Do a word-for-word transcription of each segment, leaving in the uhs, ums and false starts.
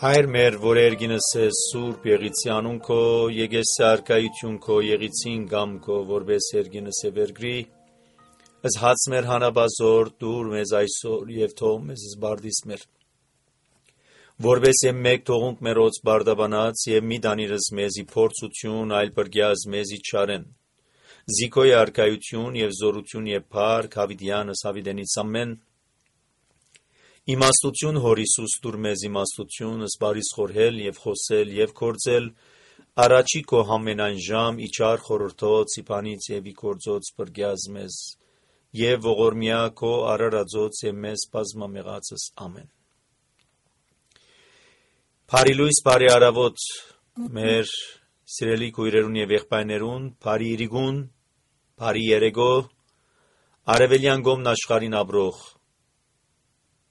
Հայր մեր, որ երգինս ես սուրբ եղիցի անուն քո, եկես սարկայություն քո, եղիցին գամ քո, որպես երգինս է վերգրի, ըս հաց մեր հանաբազոր, դուր մեզ այսօր և թող մեզ զբարդիս մեր, որպես եմ մեկ թողունք մերոց բարդաբանած և մի դանիրս մեզի փորձություն, այլ բրգյազ մեզի չարեն, զիքոյ արկայություն և զորություն և փառք հավիդյանս հավիդենից ամեն, Իմաստություն հոր Հիսուս դուր մեզ իմաստություն, ըսպարիս խորհել և խոսել և կործել, առաջի քո համենայն ժամ, իչար խորորդոց, իպանից և իքործոց բրգյազ մեզ, և ողորմյա քո արարածոց և մեզ բազմամեղացս ամեն։ Բարի լույս, բարի արավոտ մեր սիրելի քույրերուն և եղբայրներուն, բարի իրիգուն, բարի երեգո, արևելյան գոմն աշխարհին ապրող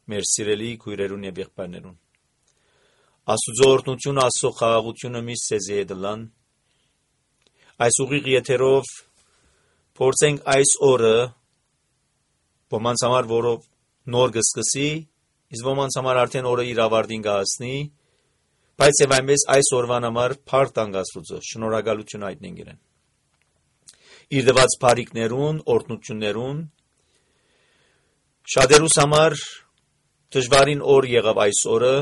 մեր սիրելի քույրերուն և եղբայրներուն։ Աստուծո օրհնությունը, Աստծո խաղաղությունը միշտ ձեզի հետ լան։ Այս ուղիղ եթերով փորձենք այս օրը ոմանց համար, որով նոր կսկսի, իսկ ոմանց համար արդեն օրը իր ավարտին կհասնի, բայց եւ այնպես այս օրվան համար փառք տանք Աստուծո, շնորհակալություն հայտնենք իրեն։ Իր դված բարիքներուն, օրհնություններուն, շատերուս համար դժվարին օր եղավ այս օրը,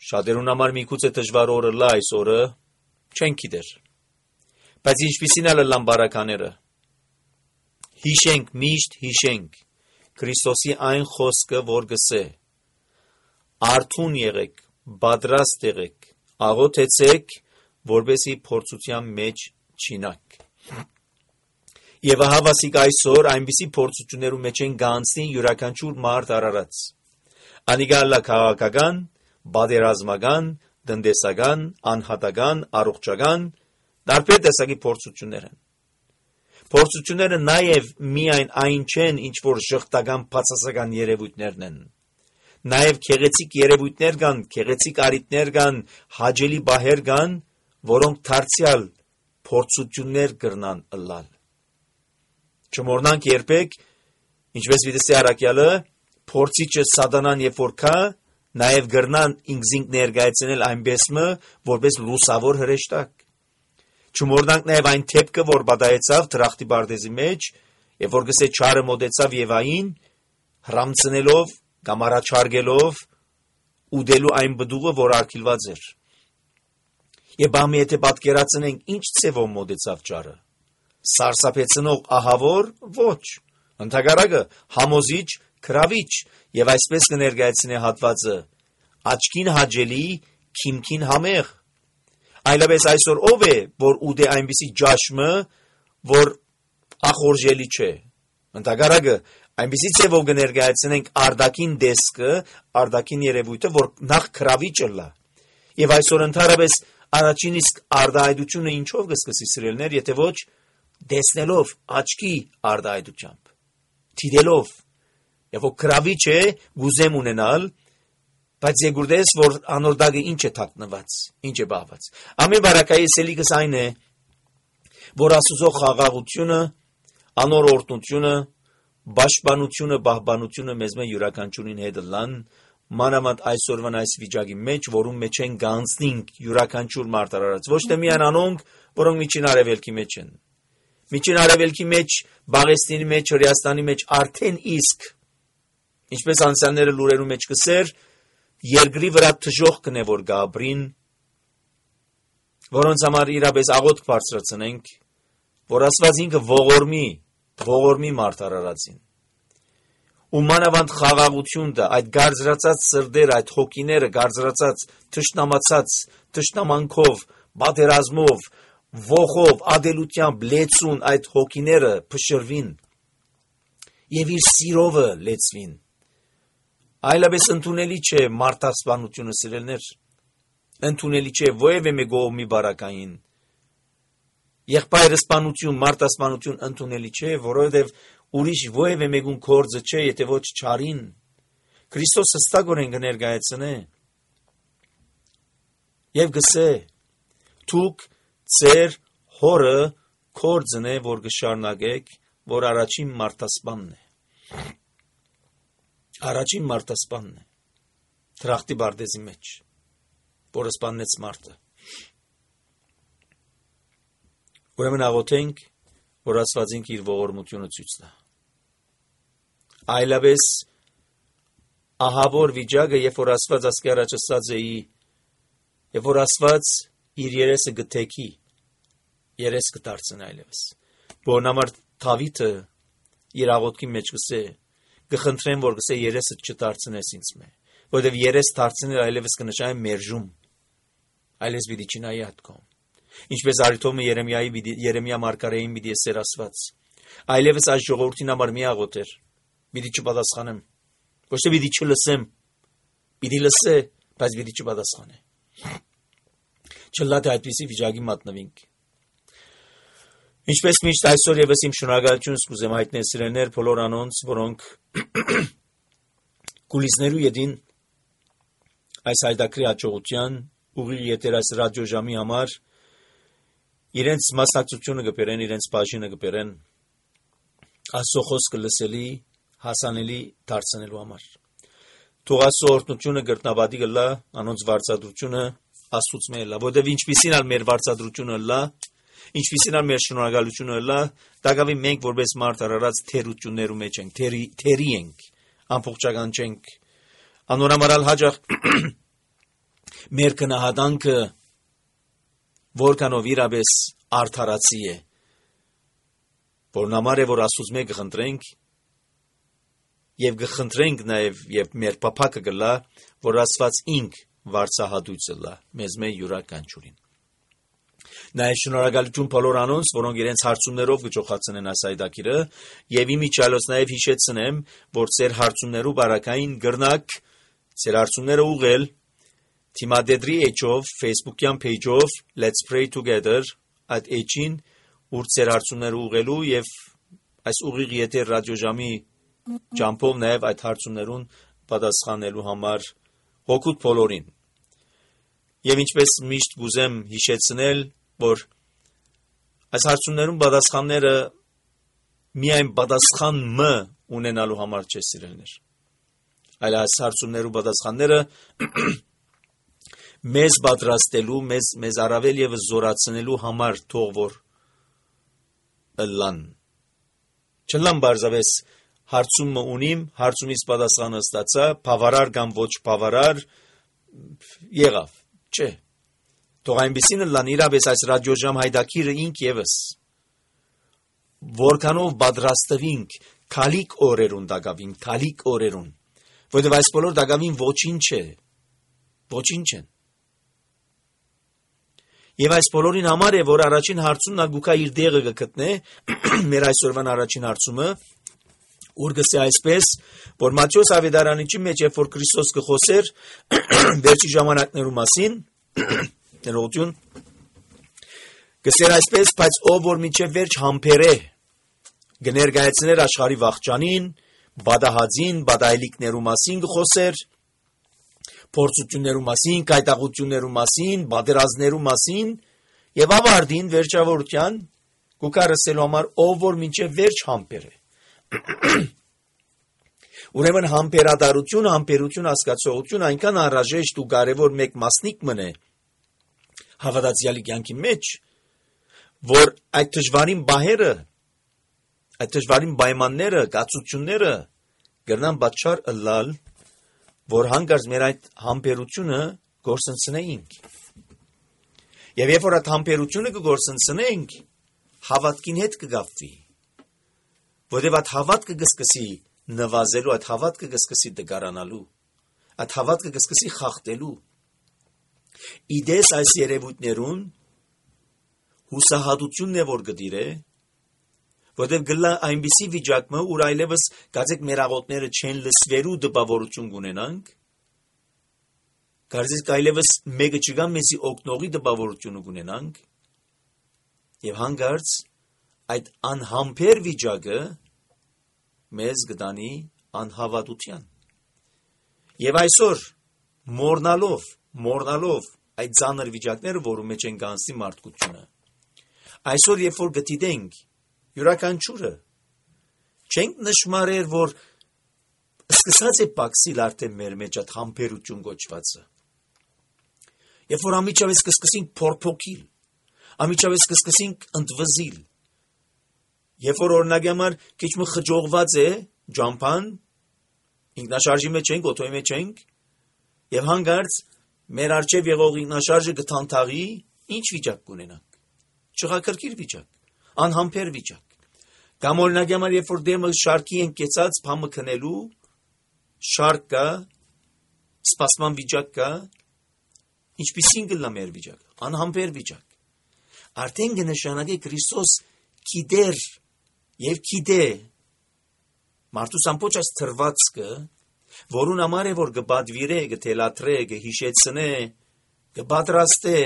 շատերուն համար միգուցե դժվար օրը լա այս օրը, չեն գիտեր։ Բայց ինչպիսին է լան բարակաները։ Հիշենք, միշտ հիշենք Քրիստոսի այն խոսքը, որ գսե. Արթուն եղեք, պատրաստ եղեք, աղոթեցեք, որպեսզի փորձության մեջ չինաք։ Եվ ահա վասիկ այսօր այնպիսի փորձություններու մեջ են գանցնի յուրաքանչյուր մարդ արարած։ Անիգալլա քաղաքական, բادرազմական, տնտեսական, անհատական, առողջական, տարբեր տեսակի փորձություններ են։ Փորձությունները նաև միայն այն չեն, ինչ որ ժխտական բացասական երևույթներն են։ Նաև քեղեցիկ երևույթներ կան, քեղեցիկ արիտներ կան, հաճելի բահեր կան, որոնք դարձյալ փորձություններ կրնան ըլլալ։ Չմոռնանք երբեք, ինչպես վիդեսի առաքյալը, փորձիչը սատանան երբ որ կա, նաև գրնան ինքզինք ներկայացնել այնպես մը, որպես լուսավոր հրեշտակ։ Չմոռնանք նաև այն թեփքը, որ բադայեցավ դրախտի բարձի մեջ, եւ որ գսե չարը մոտեցավ Եվային, հրամցնելով կամ առաջարկելով ուդելու այն բդուղը, որ արգելված էր։ Եվ բամի եթե պատկերացնենք, ինչ ցևով մոտեցավ չարը։ Սարսափեցնող ահավոր ոչ, ընդհակառակը համոզիչ, քրավիչ, եւ այսպես կներկայացնե հատվածը աչքին հաճելի, քիմքին համեղ։ Այլապես այսօր ով է, որ ուդե այնպիսի ջաշմը, որ ախորժելի չէ։ Ընդհակառակը այնպիսի ցևով կներկայացնենք արտաքին դեսքը, արտաքին երևույթը, որ նախ քրավիչը լա։ Եվ այսօր ընդհանրապես առաջին իսկ արտահայտությունը ինչով կսկսի սիրելներ, եթե ոչ դեսնելով աչքի արտահայտությամբ, թիդելով, եւ որ քրավիչ է գուզեմ ունենալ, բայց եգուրդես, որ անորդագը ինչ է թաքնված, ինչ է բաղված։ Ամեն բարակայի սելիկս այն է, որ Աստուծո խաղաղությունը, անոր օրհնությունը, պաշտպանությունը, պահպանությունը մեզ մե յուրաքանչյուրին հետ լան, մանավանդ այսօրվան այս վիճակի մեջ, որում մեջ են գանցնինք յուրաքանչյուր մարդ արարած, ոչ թե միայն անոնք, որոնք միջին արևելքի մեջ են։ Միջին արևելքի մեջ, Բաղեստինի մեջ, Հրեաստանի մեջ արդեն իսկ, ինչպես անցյալները լուրերու մեջ կսեր, երկրի վրա թժող կնե որ գաբրին, որոնց համար իրապես աղոթք բարձրացնենք, որ Աստված ինքը ողորմի, ողորմի մարդ արարածին։ Ու մանավանդ խաղաղություն դա, այդ գարձրացած սրդերը, այդ հոգիները, գարձրացած, թշնամացած, թշնամանքով, բادرազմով, ողով, ադելությամբ, լեցուն այդ հոգիները փշրվին եւ իր սիրովը լեցվին։ Այլապես ընդունելի չէ մարդասպանությունը սիրելներ, ընդունելի չէ ովևէ մի գողմի բարակային։ Եղբայրսպանություն, մարդասպանություն ընդունելի չէ, որովհետև ուրիշ ովևէ մեկուն կորձը չէ, եթե ոչ չարին։ Քրիստոս հստակորեն կներկայացնե եւ գսե. «Դուք ձեր հորը կորձն է, որ կշարունակեք, որ առաջին մարդասպանն է»։ Առաջին մարդասպանն է, թրախտի բարձի մեջ։ որը սպանեց մարդը։ Ուրեմն աղոթենք, որ Աստված ինքը իր ողորմությունը ցույց տա։ Այլապես ահավոր վիճակը, երբ որ Աստված ասկի առաջ ասած էի, երբ որ Աստված իր երեսը գտեքի, երես կդարձնի այլևս։ Որն համար Դավիթը իր աղոթքի մեջ գսե, գխնդրեմ, որ գսե երեսը չդարձնես ինձ մե, որովհետև երես դարձնել այլևս կնշանակի մերժում, այլևս պիտի չնայի ատկոմ։ Ինչպես Արիթոմը Երեմիայի Երեմիա մարգարեին պիտի ասեր Աստված, այլևս այս ժողովրդին համար մի աղոթեր, պիտի չպատասխանեմ, ոչ թե պիտի չլսեմ, պիտի լսե, բայց պիտի չպատասխանե։ Չլա թե այդպիսի վիճակի մատնվենք։ Ինչպես միշտ այսօր եւս իմ շնորհակալությունս կուզեմ հայտնել սիրելիներ բոլոր անոնց, որոնք կուլիսներու յետին այս հայտակրի հաջողության ուղիղ եթեր այս ռադիոժամի համար իրենց մասնակցությունը կբերեն, իրենց բաժինը կբերեն Աստծո խոսքը լսելի, հասանելի դարձնելու համար։ Թող Աստծո օրհնությունը գրտնաբադի գլա, անոնց վարձատրությունը Աստծուց մեր լա, որովհետև ինչպիսին ալ մեր վարձատրությունը լա, ինչպիսին ալ մեր շնորհակալությունը լա, դակավի մենք որպես մարդ արարած թերություններու մեջ ենք, թերի թերի ենք, ամբողջական չենք։ Անորամարալ հաջող մեր կնահատանքը որքանով իրապես արդարացի է, որն համար է, որ Աստծուց մենք կխնդրենք եւ կխնդրենք նաեւ եւ մեր պապակը գլա, որ Աստված ինք վարձահատույցը լա մեզ մեր յուրաքանչյուրին։ Նաեւ շնորհակալություն բոլոր անոնց, որոնք իրենց հարցումներով գճոխացնեն այս այդակիրը, եւ իմիջիալոց նաեւ հիշեցնեմ, որ ձեր հարցումներու բարակային գրնակ, ձեր հարցումները ուղղել Թիմադեդրի էջով, Facebook-յան page-ով Let's Pray Together այդ էջին, ուր ձեր հարցումները ուղղելու եւ այս ուղիղ եթեր ռադիոժամի ճամփով նաեւ այդ հարցումներուն պատասխանելու համար հոգուտ բոլորին։ Եվ ինչպես միշտ գուզեմ հիշեցնել, որ այս հարցումներուն պատասխանները միայն պատասխան մ ունենալու համար չէ սիրելիներ, այլ այս հարցումներու պատասխանները մեզ պատրաստելու, մեզ մեզ առավել եւ զորացնելու համար թող որ լան։ Չլան բարձավես հարցումը ունիմ, հարցումից պատասխանը ստացա, բավարար կամ ոչ բավարար եղավ, չէ։ Թող այնպեսին լան իրապես այս ռադիոժամ հայդակիրը ինք եւս որքանով պատրաստվինք քալիկ օրերուն դակավին, քալիկ օրերուն, որովհետեւ այս բոլոր դակավին ոչինչ է, ոչինչ են։ Եվ այս բոլորին համար է, որ առաջին հարցումն ագուկա իր դեղը կգտնե, մեր այսօրվան առաջին հարցումը, ուր գսե այսպես, որ Մատթեոս ավետարանիչի մեջ, երբ որ Քրիստոս կխոսեր վերջի ժամանակներու մասին, ներողություն, գսեր այսպես, բայց ով որ մինչև վերջ համբերե, կներկայացներ աշխարհի վախճանին, բադահածին, բադայլիկներու մասին կխոսեր, փորձություններու մասին, կայտաղություններու մասին, բادرազներու մասին եւ ավարտին վերջավորության կուկարսելու համար ով որ մինչեւ վերջ համբեր է։ Ուրեմն համբերատարություն, համբերություն հասկացողություն այնքան անհրաժեշտ ու կարեւոր մեկ մասնիկ մնե հավատացյալի կյանքի մեջ, որ այդ դժվարին բահերը, այդ դժվարին պայմանները, կացությունները կգրնան պատճառ ըլլալ, որ հանգարց մեր այդ համբերությունը գործընծնեինք։ Եվ երբ որ այդ համբերությունը կգործընծնենք, հավատքին հետ կգապվի, որովհետև այդ հավատքը կսկսի նվազելու, այդ հավատքը կսկսի դգարանալու, այդ հավատքը կսկսի խախտելու։ Իդես այս երևույթներուն հուսահատությունն է, որ գդիրե, որովհետև գլա այնպիսի վիճակը, ուր այլևս գացեք մեր աղոթները չեն լսվելու դպավորություն կունենանք, գարձեք այլևս մեկը չկա մեզի օգնողի դպավորությունը կունենանք, եւ հանգարց այդ անհամբեր վիճակը մեզ կտանի անհավատության։ Եվ այսօր մորնալով, մորնալով այդ ծանր վիճակները, որում մեջ են գանցի մարդկությունը, այսօր երբ որ գտիտենք յուրաքանչյուրը չենք նշмарեր, որ սկսած է պակսիլ արդեն մեր մեջ այդ համբերություն գոչվածը։ Երբ որ ամիջավես կսկսենք փորփոքիլ, ամիջավես կսկսենք ընդվզիլ, երբ որ օրինակի համար քիչ մը խջողված է ջամփան, ինքնաշարժի մեջ ենք, օթոյի մեջ ենք, եւ հանգարց մեր արջև եղող ինքնաշարժը կթանթաղի, ինչ վիճակ կունենանք։ Չղակրկիր վիճակ, անհամբեր վիճակ։ Կամ օրինակի համար երբ որ դեմը շարքի են կեցած, փամը քնելու, շարք կա, սպասման վիճակ կա, ինչպիսին կլա մեր վիճակ, անհամբեր վիճակ։ Արդեն կնշանակի Քրիստոս գիտեր եւ գիտե մարդուս ամբողջ այս թրվածքը, որուն համար է որ կբադվիրե, կթելաթրե, կհիշեցնե, կպատրաստե,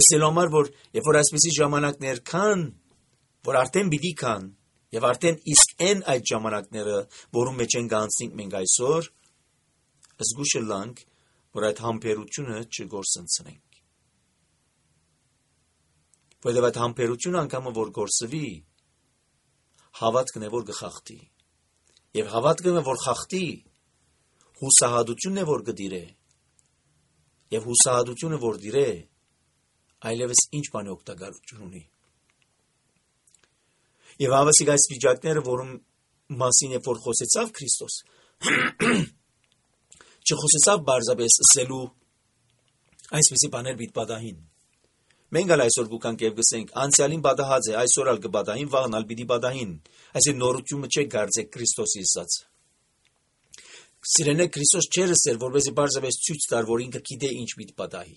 ըստ համար որ երբ որ այսպիսի ժամանակներ կան, որ արդեն պիտի կան, եւ արդեն իսկ այն այդ ժամանակները, որում մեջ են գանցնենք մենք այսօր, զգուշ լանք, որ այդ համբերությունը չգործընծնենք։ Որովհետև այդ համբերությունը անգամ որ գործվի, հավատքն է որ կխախտի, եւ հավատքն է որ խախտի, հուսահատությունն է որ կդիրե, եւ հուսահատությունը որ դիրե, այլևս ինչ բան օգտակարություն ունի։ Եվ հավասիկ այս վիճակները, որում մասին է որ խոսեցավ Քրիստոս, չխոսեցավ բարձրապես ասելու այսպիսի բաներ պիտի պատահին։ Մենք ալ այսօր գուքանք եւ գսենք, անցյալին պատահած է, այսօր ալ կպատահին, վաղն ալ պիտի պատահին։ Այսինքն նորությունը չէ գարձեք Քրիստոսի ասած։ Սիրելիներ, Քրիստոս չէր ասել, որովհետեւ բարձրապես ցույց տար, որ ինքը գիտե ինչ պիտի պատահի։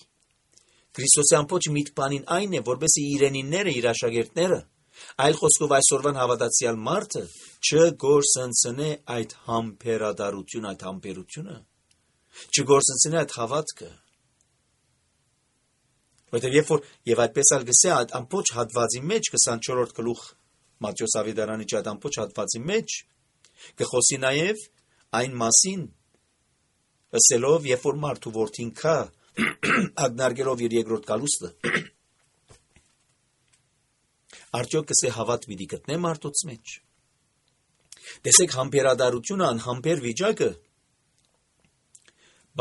Քրիստոսի ամբողջ միտքանին այն է, որովհետեւ իրենինները, իր աշակերտները, այլ խոսքով այսօրվան հավատացյալ մարդը չգործընծնե այդ համբերատարություն, այդ համբերությունը, չգործընծնե այդ հավատքը։ Որտեղ երբ որ եւ այդպես ալ գսե այդ ամբողջ հատվածի մեջ քսանչորրորդ գլուխ Մատթեոս Ավետարանի այդ ամբողջ հատվածի մեջ կխոսի նաեւ այն մասին, ասելով երբ որ մարդու որդին կա ագնարգելով իր երկրորդ գալուստը, արդյոք կսե հավատ պիտի գտնե մարդոց մեջ։ Տեսեք համբերատարությունը, անհամբեր վիճակը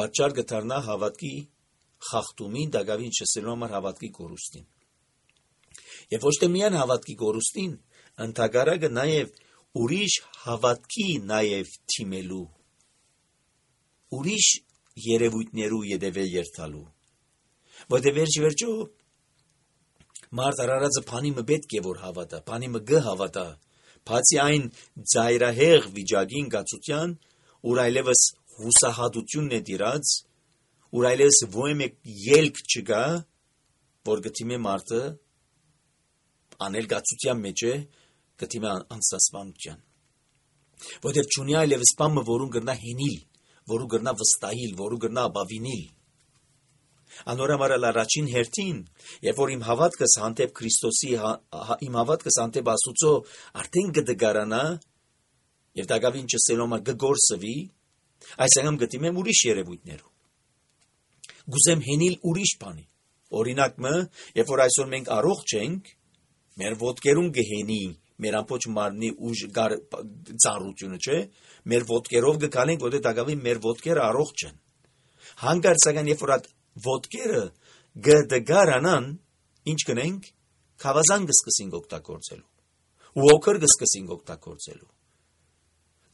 պատճառ կդառնա հավատքի խախտումին, դակավին չսելու համար հավատքի կորուստին։ Եվ ոչ թե միայն հավատքի կորուստին, ընդհակառակը նաև ուրիշ հավատքի նաև թիմելու, ուրիշ երևույթներու ետևե երթալու։ Որտեղ վերջ-վերջո մարդ արարածը բանի մը պետք է որ հավատա, բանի մը գ հավատա, բացի այն ծայրահեղ վիճակին գացության, ուր այլևս հուսահատությունն է դիրած, ուր այլևս ոյմ ելք չկա, որ գտիմե մարդը անել գացության մեջ է, գտիմե անստասմանության։ Որտեղ չունի այլևս բանը, որուն գրնա հենիլ, որու գրնա վստահիլ, որու գրնա ապավինիլ։ Անորամարալ առաջին հերթին, երբ որ իմ հավատքս հանդեպ Քրիստոսի, իմ հավատքս հանդեպ Աստուծո արդեն կդգարանա, եւ դակավին չսելոմա կգործվի, այսինքն գտիմեմ ուրիշ երևույթներով։ Գուզեմ հենիլ ուրիշ բանի։ Օրինակ մը, երբ որ այսօր մենք առողջ ենք, մեր ոտքերուն կհենի, մեր ամբողջ մարմնի ուժ ծառությունը, չէ՞, մեր ոտքերով կգալենք, որտեղ դակավին մեր ոտքերը առողջ են։ Հանկարծ սակայն երբ որ ոտքերը գդգարանան, ինչ կնենք, խավազան կսկսենք օգտագործելու, ուոքր կսկսենք օգտագործելու,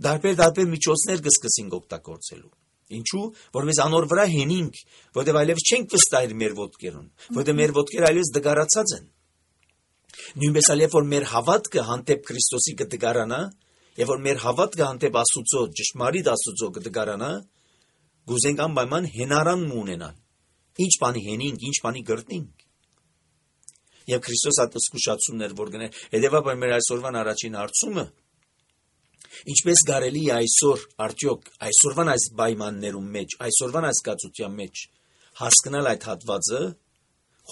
դարբեր-դարբեր միջոցներ կսկսենք օգտագործելու։ Ինչու՞, որպես անոր վրա հենինք, որտեղ այլևս չենք վստահել մեր ոտքերուն, որտեղ մեր ոտքերը այլևս դգարացած են։ Նույնպես այլ երբ որ մեր հավատքը հանդեպ Քրիստոսի կդգարանա, երբ որ մեր հավատքը հանդեպ Աստուծո, ճշմարիտ Աստուծո կդգարանա, գուզենք անպայման հենարան ունենալ։ Ինչ բանի հենինք, ինչ բանի գրտնենք։ Եվ Քրիստոս այդ զգուշացումներ որ գներ, հետևաբար մեր այսօրվան առաջին հարցումը, ինչպես կարելի է այսօր արդյոք այսօրվան այս պայմաններում մեջ, այսօրվան այս կացության մեջ հասկանալ այդ հատվածը,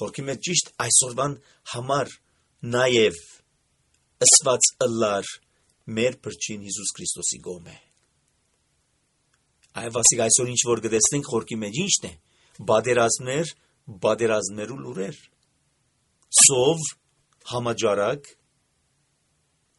խորքի մեջ ճիշտ այսօրվան համար նաև ըսված ըլլար մեր փրկին Հիսուս Քրիստոսի գոմե։ Այվասիկ այսօր ինչ որ գտեսնենք խորքի մեջ ինչն է, բادرազմներ, բادرազմներու լուրեր, սով, համաճարակ,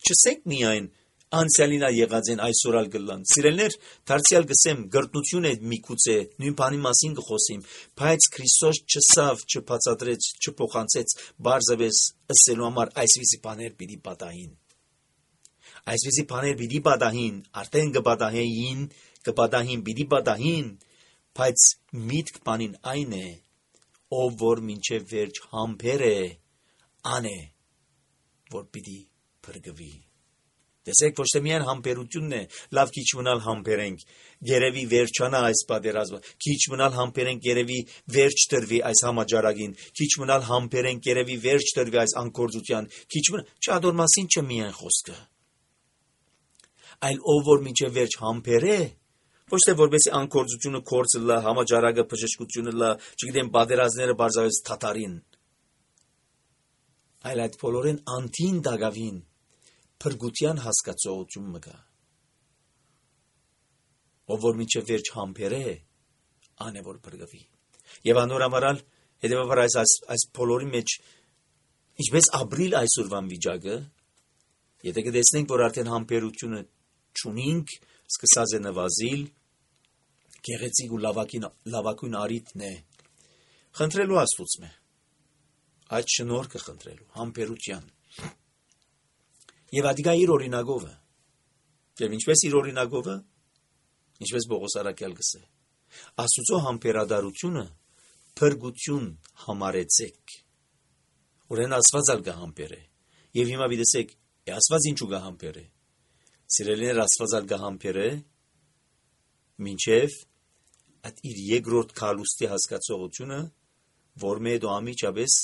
չսեք միայն Անցյալինա եղած են այսօրալ գլան։ Սիրելներ, դարձյալ գսեմ գրտնություն է միգուցե նույն բանի մասին կխոսիմ, բայց Քրիստոս չսավ, չբացատրեց, չփոխանցեց բարձրապես ըսելու համար այսպիսի բաներ պիտի պատահին։ Այսպիսի բաներ պիտի պատահին, արդեն կպատահեին, կպատահին, պիտի պատահին, բայց միտք բանին այն է, ով որ մինչև վերջ համբեր է, ան է, որ պիտի փրկվի։ Տեսեք, ոչ թե միայն համբերությունն է, լավ քիչ մնալ համբերենք, երևի վերջանա այս պատերազմը, քիչ մնալ համբերենք, երևի վերջ տրվի այս համաճարակին, քիչ մնալ համբերենք, երևի վերջ տրվի այս անկործության, քիչ մնալ, չադոր մասին չէ միայն խոսքը։ Այլ ով որ մինչև վերջ համբեր է, ոչ թե որպեսի անկործությունը կորցը լա, համաճարակը բժշկությունը լա, չգիտեմ պատերազմները բարձրապես թաթարին, այլ այդ բոլորին անտին դագավին փրկության հասկացողություն մգա։ Ով որ մինչև վերջ համբեր է, ան է որ փրկվի։ Եվ անորամարալ հետևաբար այս այս, այս բոլորի մեջ ինչպես ապրիլ այսօրվան վիճակը, եթե կտեսնենք, որ արդեն համբերությունը չունենք, սկսած է նվազիլ, գեղեցիկ ու լավակին լավակույն արիտն է խնդրելու Աստծուց մե այդ շնորհքը խնդրելու համբերության եւ ադիգա իր օրինագովը եւ ինչպես իր օրինագովը ինչպես Պողոս Արաքյալ գսե Աստծո համբերադարությունը փրկություն համարեցեք ուրեն Աստված ալ գահամբեր է եւ հիմա դիտեք Աստված ինչու գահամբեր է սիրելիներ Աստված ալ գահամբեր է մինչև այդ իր երկրորդ քալուստի հասկացողությունը որ մեդո ամիջապես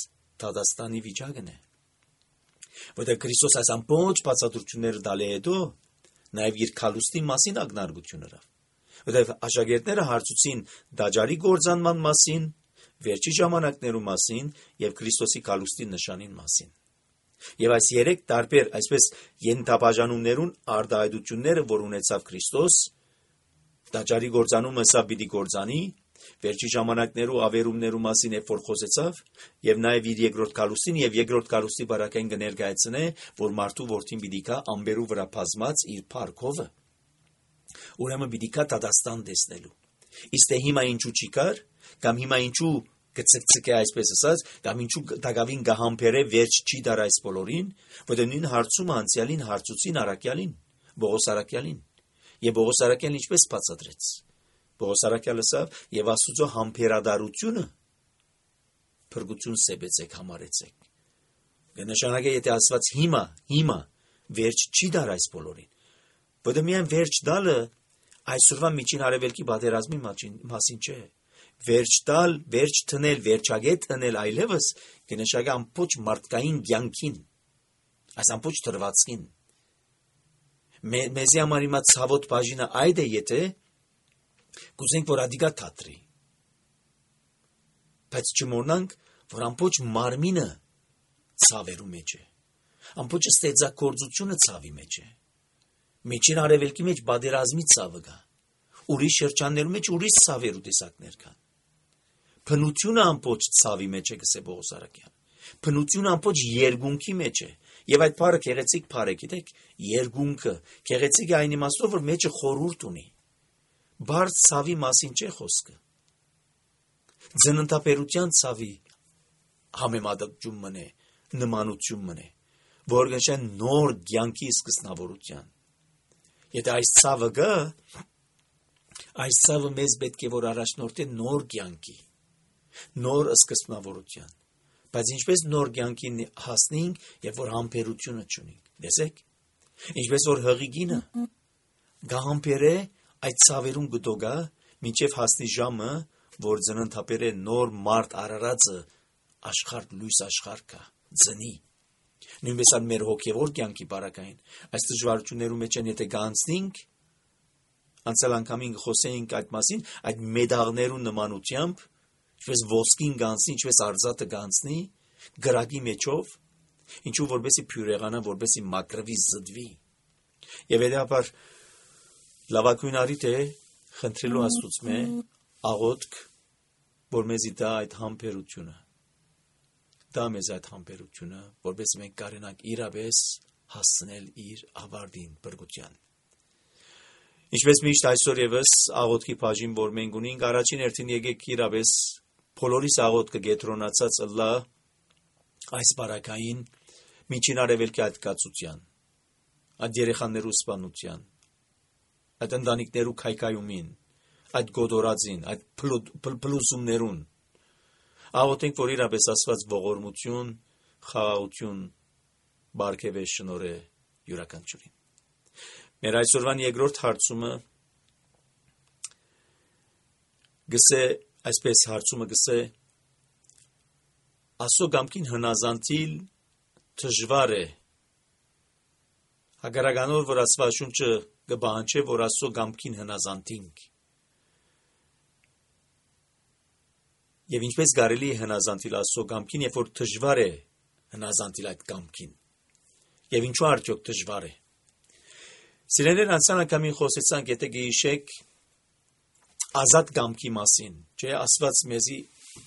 Դադաստանի վիճակն է որտեղ Քրիստոս այս ամբողջ բացատրությունները տալի հետո նաև իր քալուստի մասին ակնարկությունները որտեղ աշակերտները հարցուցին դաջարի գործանման մասին վերջի ժամանակներու մասին եւ Քրիստոսի քալուստի նշանին մասին եւ այս երեք տարբեր այսպես ենթաբաժանումներուն արտահայտությունները որ ունեցավ Քրիստոս դաջարի գործանումը սա պիտի գործանի վերջի ժամանակներու ավերումներու մասին երբ որ խոսեցավ եւ նաեւ իր երկրորդ քալուստին եւ երկրորդ քալուստի բարակային կներկայացնե որ մարդու որդին պիտի կա ամբերու վրա բազմած իր փառքովը ուրեմն պիտի կա Դադաստան տեսնելու իսկ թե հիմա ինչու չի կար կամ հիմա ինչու կցկցկե այսպես ասած կամ ինչու դակավին գահամբերե վերջ չի դար այս բոլորին որտեղ նույն հարցումը անցյալին հարցուցին Արաքյալին Պողոս Արաքյալին եւ Պողոս Արաքյալն ինչպես բացատրեց Պողոս Արաքյալը ասավ եւ Աստծո համբերադարությունը փրկություն սեբեցեք համարեցեք կնշանակե եթե Աստված հիմա հիմա վերջ չի դար այս բոլորին որտեղ միայն վերջ դալը այսօրվա միջին արևելքի պատերազմի մասին չէ վերջ տալ վերջ տնել վերջագետ տնել այլևս կնշանակե ամբողջ մարդկային կյանքին այս ամբողջ դրվածքին մեզի համար հիմա ցավոտ բաժինը այդ է եթե կուզենք որ ադիգա թատրի բայց չմոռնանք որ ամբողջ մարմինը ցավերու մեջ է ամբողջ ստեղծագործությունը ցավի մեջ է միջին արևելքի մեջ բادرազմի ցավը կա ուրիշ շրջաններու մեջ ուրիշ ցավերու տեսակներ կան փնությունը ամբողջ ցավի մեջ է գսե Պողոս Արաքյան փնությունը ամբողջ երգունքի մեջ է եւ այդ բառը գեղեցիկ բառ է գիտեք երգունքը գեղեցիկ է այն իմաստով որ մեջը խորհուրդ ունի բարձ ցավի մասին չէ խոսքը ձնընթապերության ցավի համեմատություն մնե նմանություն մնե որ գշան նոր կյանքի սկզբնավորության եթե այս ցավը գա այս ցավը մեզ պետք է որ առաջնորդի նոր կյանքի նոր սկզբնավորության բայց ինչպես նոր կյանքին հասնենք եւ որ համբերությունը չունենք տեսեք ինչպես որ հղիգինը գահամբեր է այդ ցավերուն գտոգա մինչև հասնի ժամը որ ծննդապեր է նոր մարդ արարածը աշխարհ լույս աշխարհ կա ծնի նույնպես ան մեր հոգևոր կյանքի բարակային այս դժվարություններու մեջ են եթե գանցնենք անցյալ անգամին խոսեինք այդ մասին այդ մեդաղներու նմանությամբ ինչպես ոսկին գանցնի ինչպես արծաթը գանցնի գրագի մեջով ինչու որբեսի փյուրեղանա որբեսի մակրվի զդվի եւ հետեւաբար լավակույն արիտ է խնդրելու Աստծուց մե աղոթք որ մեզի դա այդ համբերությունը դա մեզ այդ համբերությունը որբեսի մենք կարենանք իրապես հասցնել իր ավարտին բրգության։ Ինչպես միշտ այսօր եւս աղոթքի բաժին, որ մենք ունենք, առաջին հերթին եկեք իրապես բոլորիս աղոթքը գետրոնացած ըլլա այս բարակային միջին արևելքի այդ կացության, այդ երեխաներու սպանության, այդ ընտանիքներու քայքայումին, այդ գոդորածին, այդ փլուզումներուն, աղոթենք, որ իրապես Աստված ողորմություն, խաղաղություն բարգեւե շնորհե յուրաքանչյուրին։ Մեր այսօրվան երկրորդ հարցումը գսե այսպես հարցումը գսե Աստծո կամքին հնազանդիլ դժվար է հագարականոր որ Աստվածաշունչը կբանջե որ Աստծո կամքին հնազանդինք եւ ինչպես կարելի է հնազանդիլ Աստծո կամքին երբ որ դժվար է հնազանդիլ այդ կամքին եւ ինչու արդյոք դժվար է Սիրելիներ, անցյալ անգամին խոսեցանք, եթե գիշեք ազատ կամքի մասին, չէ, Աստված մեզի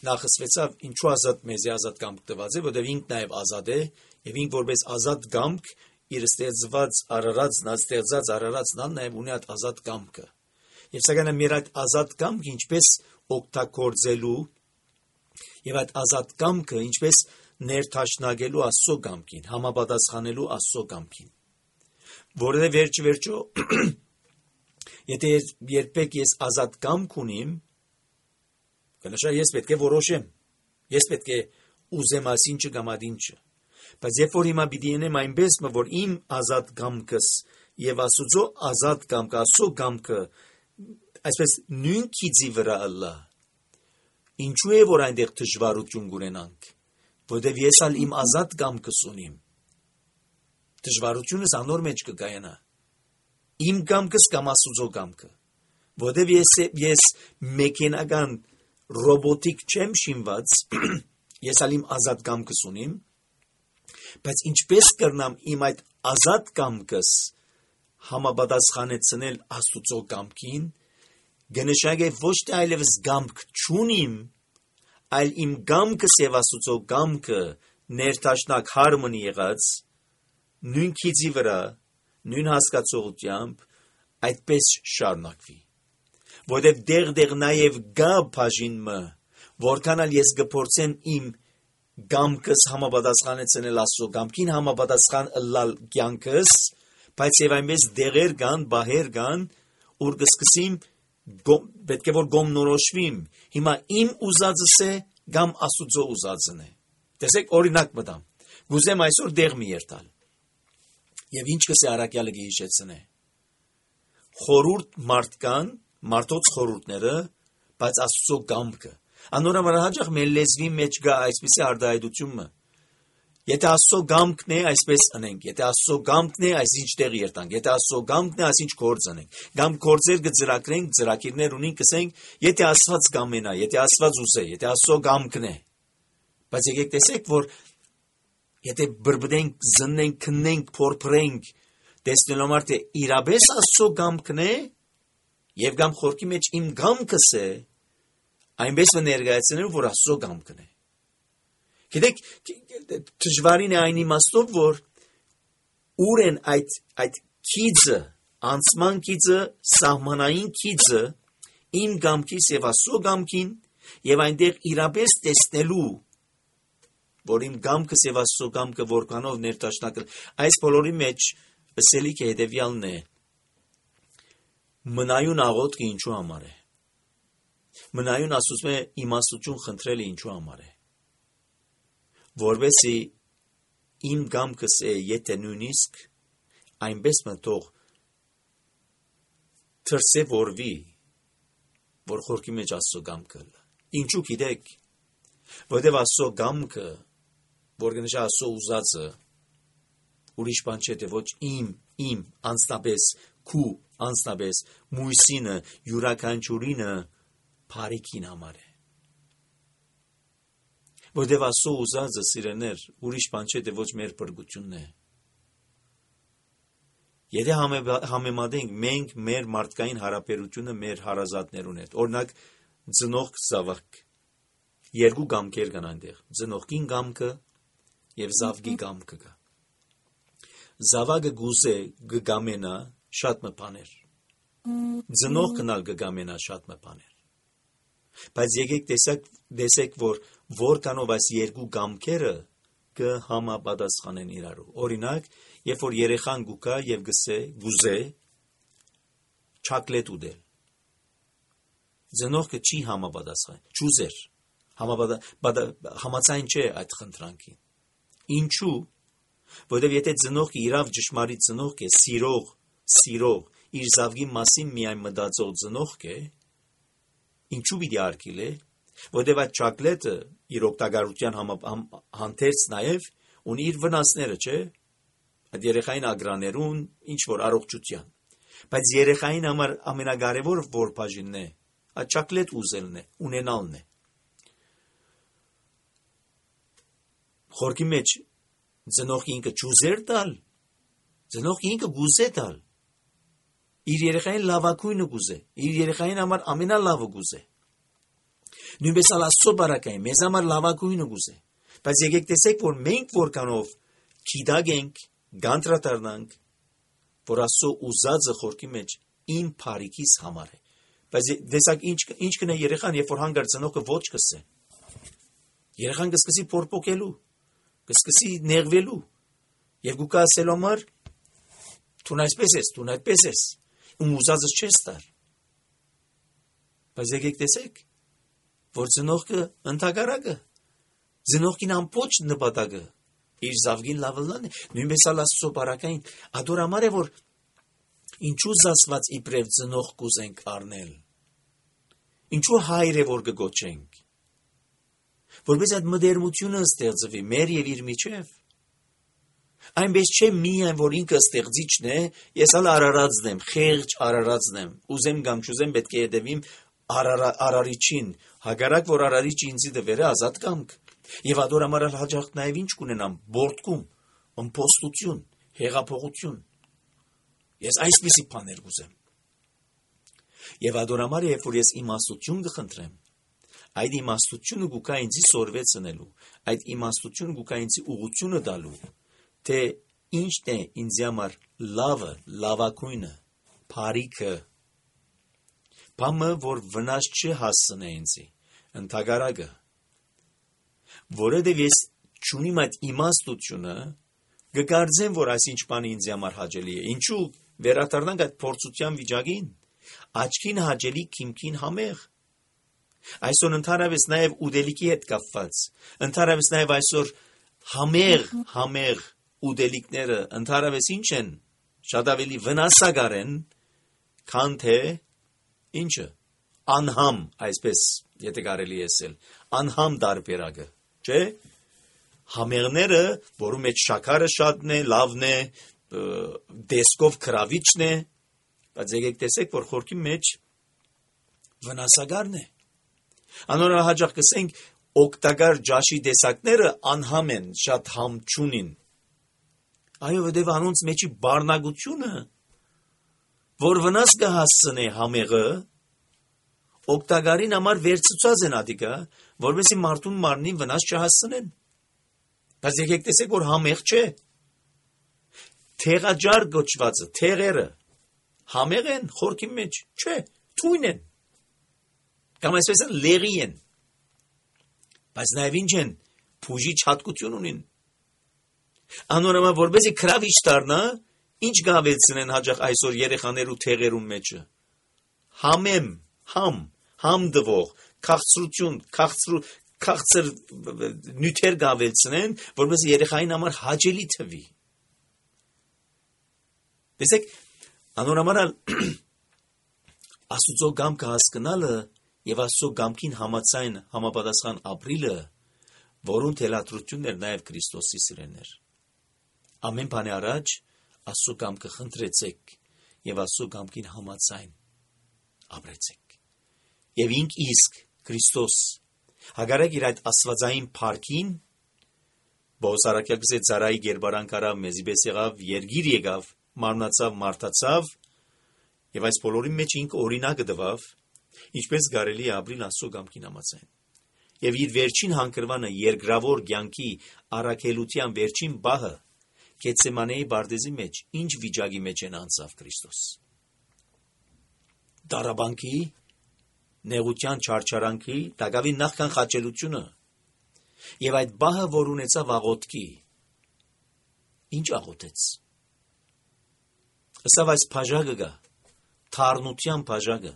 նախսվեցավ, ինչու ազատ մեզի ազատ կամք տված է, որտեղ ինքն նաև ազատ է, եւ ինք որպես ազատ կամք իր ստեղծված արարածն, ստեղծած արարածն ան նաև ունի այդ ազատ կամքը։ Եվ սակայն մեր այդ ազատ կամքը ինչպես օգտագործելու եւ այդ ազատ կամքը ինչպես ներդաշնակելու Աստծո կամքին, համապատասխանելու Աստծո կամքին։ Որովհետև վերջ վերջո եթե երբեք ես ազատ կամք ունիմ կնշա ես պետք է որոշեմ ես պետք է ուզեմ այսինչը կամ այնինչը բայց երբ որ հիմա պիտի ենեմ այնպես որ իմ ազատ կամքս եւ Աստծո ազատ կամքը Աստծո կամքը այսպես նույն քիծի վրա ըլլա ինչու է որ այնտեղ դժվարություն կունենանք որովհետև ես ալ իմ ազատ կամքս ունիմ Դժվարությունս անոր մեջ կգայանա իմ կամքս կամ Աստծո կամքը որովհետև ես ես մեքենական ռոբոտիկ չեմ շինված ես ալ իմ ազատ կամքս ունիմ բայց ինչպես կրնամ իմ այդ ազատ կամքս համապատասխանեցնել Աստծո կամքին գնշագե ոչ թե այլևս կամք չունիմ այլ իմ կամքս եւ Աստծո կամքը ներդաշնակ հարմոնի եղած նույն քիծի վրա, նույն հասկացողությամբ այդպես շարունակվի։ Որտեղ դեղ-դեղ նաև գա բաժինը, որքան ալ ես կփորձեմ իմ կամքս համապատասխանեցնել Աստծո կամքին համապատասխան ըլլալ կյանքս, բայց եւ այնպես դեղեր կան, բահեր կան, ուր կսկսիմ պետք է որ գոմնորոշվիմ։ Հիմա իմ ուզածս է կամ Աստծո ուզածն է։ Տեսեք օրինակ մտամ։ Գուզեմ այսօր դեղ մի երթալ։ Եվ ինչ կսե առաքյալը գիհիշեցնե խորուրդ մարդկան մարդոց խորուրդները բայց Աստծո կամքը անորոշ հաճախ մեր լեզվի մեջ գա այսպիսի արտահայտությունը եթե Աստծո կամքն է այսպես անենք եթե Աստծո կամքն է այսինչ տեղ երթանք եթե Աստծո կամքն է այսինչ գործ անենք կամ գործեր կծրագրենք ծրագիրներ ունենք կսենք եթե Աստված կամենա եթե Աստված ուզե եթե Աստծո կամքն է բայց եկեք տեսեք որ Եթե բրբդենք, զննենք, քննենք, փորփրենք, տեսնելով արդյոք իրապես Աստծո կամքն է, եւ կամ խորքի մեջ իմ կամքս է, այնպես ներկայացնելու, որ Աստծո կամքն է։ Գիտեք, դժվարին է այն իմաստով, որ ուր են այդ այդ քիծը, անցման քիծը, սահմանային քիծը, իմ կամքիս եւ Աստծո կամքին, եւ այնտեղ իրապես տեսնելու որ իմ կամքս եւ Աստծո կամքը որքանով ներդաշնակը այս բոլորի մեջ ըսելիք է հետեւյալն է մնայուն աղոթքը ինչու համար է մնայուն ասում է իմաստություն խնդրելը ինչու համար է որովհետեւ իմ կամքս է եթե նույնիսկ այնպես մտող թրսեվորվի որ խորքի մեջ Աստծո կամքը ինչու գիտեք որովհետեւ Աստծո կամքը որ գնշա Աստծո ուզածը ուրիշ բան չէ թե ոչ իմ իմ անձնապես քու անձնապես մույսինը յուրաքանչյուրինը բարիքին համար է որովհետև Աստծո ուզածը սիրելիներ ուրիշ բան չէ թե ոչ մեր բրգությունն է եթե համեմատենք մենք մեր մարդկային հարաբերությունը մեր հարազատներուն հետ օրինակ ծնող զավակ երկու կամքեր կան այնտեղ ծնողքին կամքը եւ զավգի կամքը կա Զավակը գուզե գգամենա շատ մը բաներ։ Ծնող կնալ գգամենա շատ մը բաներ։ Բայց եկեք տեսեք, տեսեք, որ որքանով այս երկու գամքերը կհամապատասխանեն իրարու։ Օրինակ, երբ որ երեխան գուկա եւ գսե, գուզե չակլետ ուդել։ Ծնողքը չի համապատասխան, չուզեր։ Համաձայն չէ այդ խնդրանքին։ Ինչու՞։ Որովհետև եթե ծնողքը իրավ ճշմարիտ ծնողք է, սիրող, սիրող, իր զավգի մասին միայն մտածող ծնողք է, ինչու պիտի արգիլ է, որովհետև այդ չակլետը իր օգտագործության հանդերձ նաև ունի իր վնասները, չէ՞։ Այդ երեխային ագրաներուն ինչ որ առողջության։ Բայց երեխային համար ամենակարևոր որ բաժինն է, այդ չակլետ ուզելն է, ունենալն է։ Խորքի մեջ ծնողքը ինքը ճուզեր տալ, ծնողքը ինքը գուզե տալ, իր երեխային լավագույնը գուզե, իր երեխային համար ամենալավը գուզե։ Նույնպես ալ Աստծո բարակային, մեզ համար լավագույնը գուզե։ Բայց եկեք տեսեք, որ մենք որքանով քիդագենք, գանտրատարնանք, որ Աստծո ուզածը խորքի մեջ իմ բարիքիս համար է։ Բայց տեսակ ինչ ինչ կնե երեխան, երբ որ հանգար ծնողքը ոչ կսե։ Երեխան կսկսի փորփոքելու, կսկսի նեղվելու, եւ գուկա ասելու համար դու այսպես ես, դու այդպես ես, ու ուզածս չես տար։ Բայց եկեք տեսեք, որ ծնողքը ընդհակառակը, ծնողքին ամբողջ նպատակը իր զավգին լավելն է, նույնպես ալ Աստծո բարակային, ադորամար է, որ ինչու զասված իբրև ծնող կուզենք առնել, ինչու հայր է, որ կգոչենք, որպես այդ մդերմությունը ստեղծվի մեր եւ իր միջև, այնպես չէ միայն, որ ինքը ստեղծիչն է, ես ալ արարածն եմ, խեղճ արարածն եմ, ուզեմ կամ չուզեմ պետք է հետևիմ արարիչին, հակառակ որ արարիչը ինձի դվեր է ազատ կամք, եւ ադորամար հաջող նաեւ ինչ կունենամ, բորտկում, ըմպոստություն, հեղափոխություն։ Ես այսպիսի բաներ կուզեմ։ Եվ ադորամար երբ որ ես իմաստություն կխնդրեմ, այդ իմաստությունը գուկա ինձի սորվեցնելու, այդ իմաստությունը գուկա ինձի ուղղությունը տալու, թե ինչն է ինձ համար լավը, լավագույնը, բարիքը, բամը, որ վնաս չհասցնե ինձի, ընդհակառակը, որովհետև ես չունիմ այդ իմաստությունը, կկարծեմ, որ այսինչ բանը ինձ համար հաճելի է։ Ինչու վերադառնանք այդ փորձության վիճակին, աչքին հաճելի, քիմքին համեղ։ Այսօր ընդհանրապես նաև ուդելիքի հետ կապված, ընդհանրապես նաև այսօր համեղ, համեղ ուդելիքները ընդհանրապես ինչ են, շատ ավելի վնասակար են, քան թե ինչը, անհամ, այսպես, եթե կարելի ասել, անհամ տարբերակը, չէ՞։ Համեղները, որում մեջ շաքարը շատն է, լավն է, դեսկով քրավիչն է, բայց եկեք տեսեք, որ խորքի մեջ վնասակարն է։ Անորահաճախ կսենք, օգտակար ջաշի տեսակները անհամ են, շատ համ չունին։ Այո, որտեվ անոնց մեջի բառնագությունը, որ վնաս կհասցնե համեղը, օգտակարին համար վերցուցած են ադիկա, որովհետեւ մարդուն մարմնին վնաս չհասցնեն։ Բայց եկեք տեսեք, որ համեղ չէ։ Թեղաջար գոչվածը, թեղերը համեղ են խորքի մեջ, չէ, թույն են։ Կամ այսպես են լեղի են։ Բայց նաև ինչ են, փուժի հատկություն ունին։ Անորոմա որպեսզի քրավիչ դառնա, ինչ գավեցնեն հաջող այսօր երեխաներու թեղերուն մեջը։ Համեմ, համ, համ դվող, քաղցրություն, քաղցրու քաղցր նյութեր գավեցնեն, որպեսզի երեխային համար հաճելի թվի։ Տեսեք, անորոմար Աստծո գամքը հասկանալը եւ Աստծո գամքին համաձայն համապատասխան ապրիլը, որուն թելադրությունն էր նաեւ Քրիստոսի սիրեներ։ Ամեն բանի առաջ Աստծո գամքը խնդրեցեք եւ Աստծո գամքին համաձայն ապրեցեք։ Եվ ինք իսկ Քրիստոս հագարակ իր այդ աստվածային փառքին Բոսարակյակսե ծարայի գերբարան կարավ մեզի պես եղավ, երգիր եկավ, մարմնացավ, մարդացավ, եւ այս բոլորի մեջ ինքը օրինակը տվավ, ինչպես կարելի է ապրիլ Աստծո գամքին համաձայն։ Եվ իր վերջին հանգրվանը երկրավոր կյանքի առաքելության վերջին բահը Գեթսեմանեի բարձի մեջ ինչ վիճակի մեջ են անցավ Քրիստոս։ Դարաբանքի, նեղության չարչարանքի, դակավի նախքան խաչելությունը եւ այդ բահը, որ ունեցավ աղոթքի, ինչ աղոթեց։ Ըսավ այս բաժակը գա, թարնության բաժակը,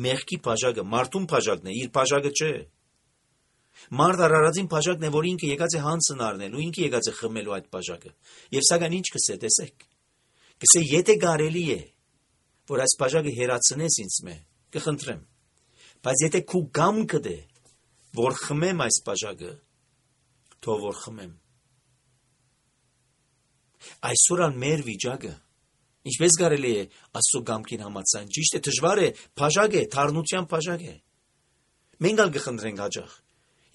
մեղքի բաժակը, մարդուն բաժակն է, իր բաժակը չէ։ Մարդ արարածին բաժակն է, որ ինքը եկած է հանցն առնելու, ինքը եկած է խմելու այդ բաժակը։ Եվ սակայն ինչ կսե, տեսեք։ Կսե, եթե կարելի է, որ այս բաժակը հերացնես ինձ մե, կխնդրեմ։ Բայց եթե քու գամքը դե, որ խմեմ այս բաժակը, թող որ խմեմ։ Այսօր ան մեր վիճակը, ինչպես կարելի է Աստծո գամքին համաձայն, ճիշտ է, դժվար է, բաժակ է, թարնության բաժակ է։ Մենք ալ կխնդրենք հաճախ։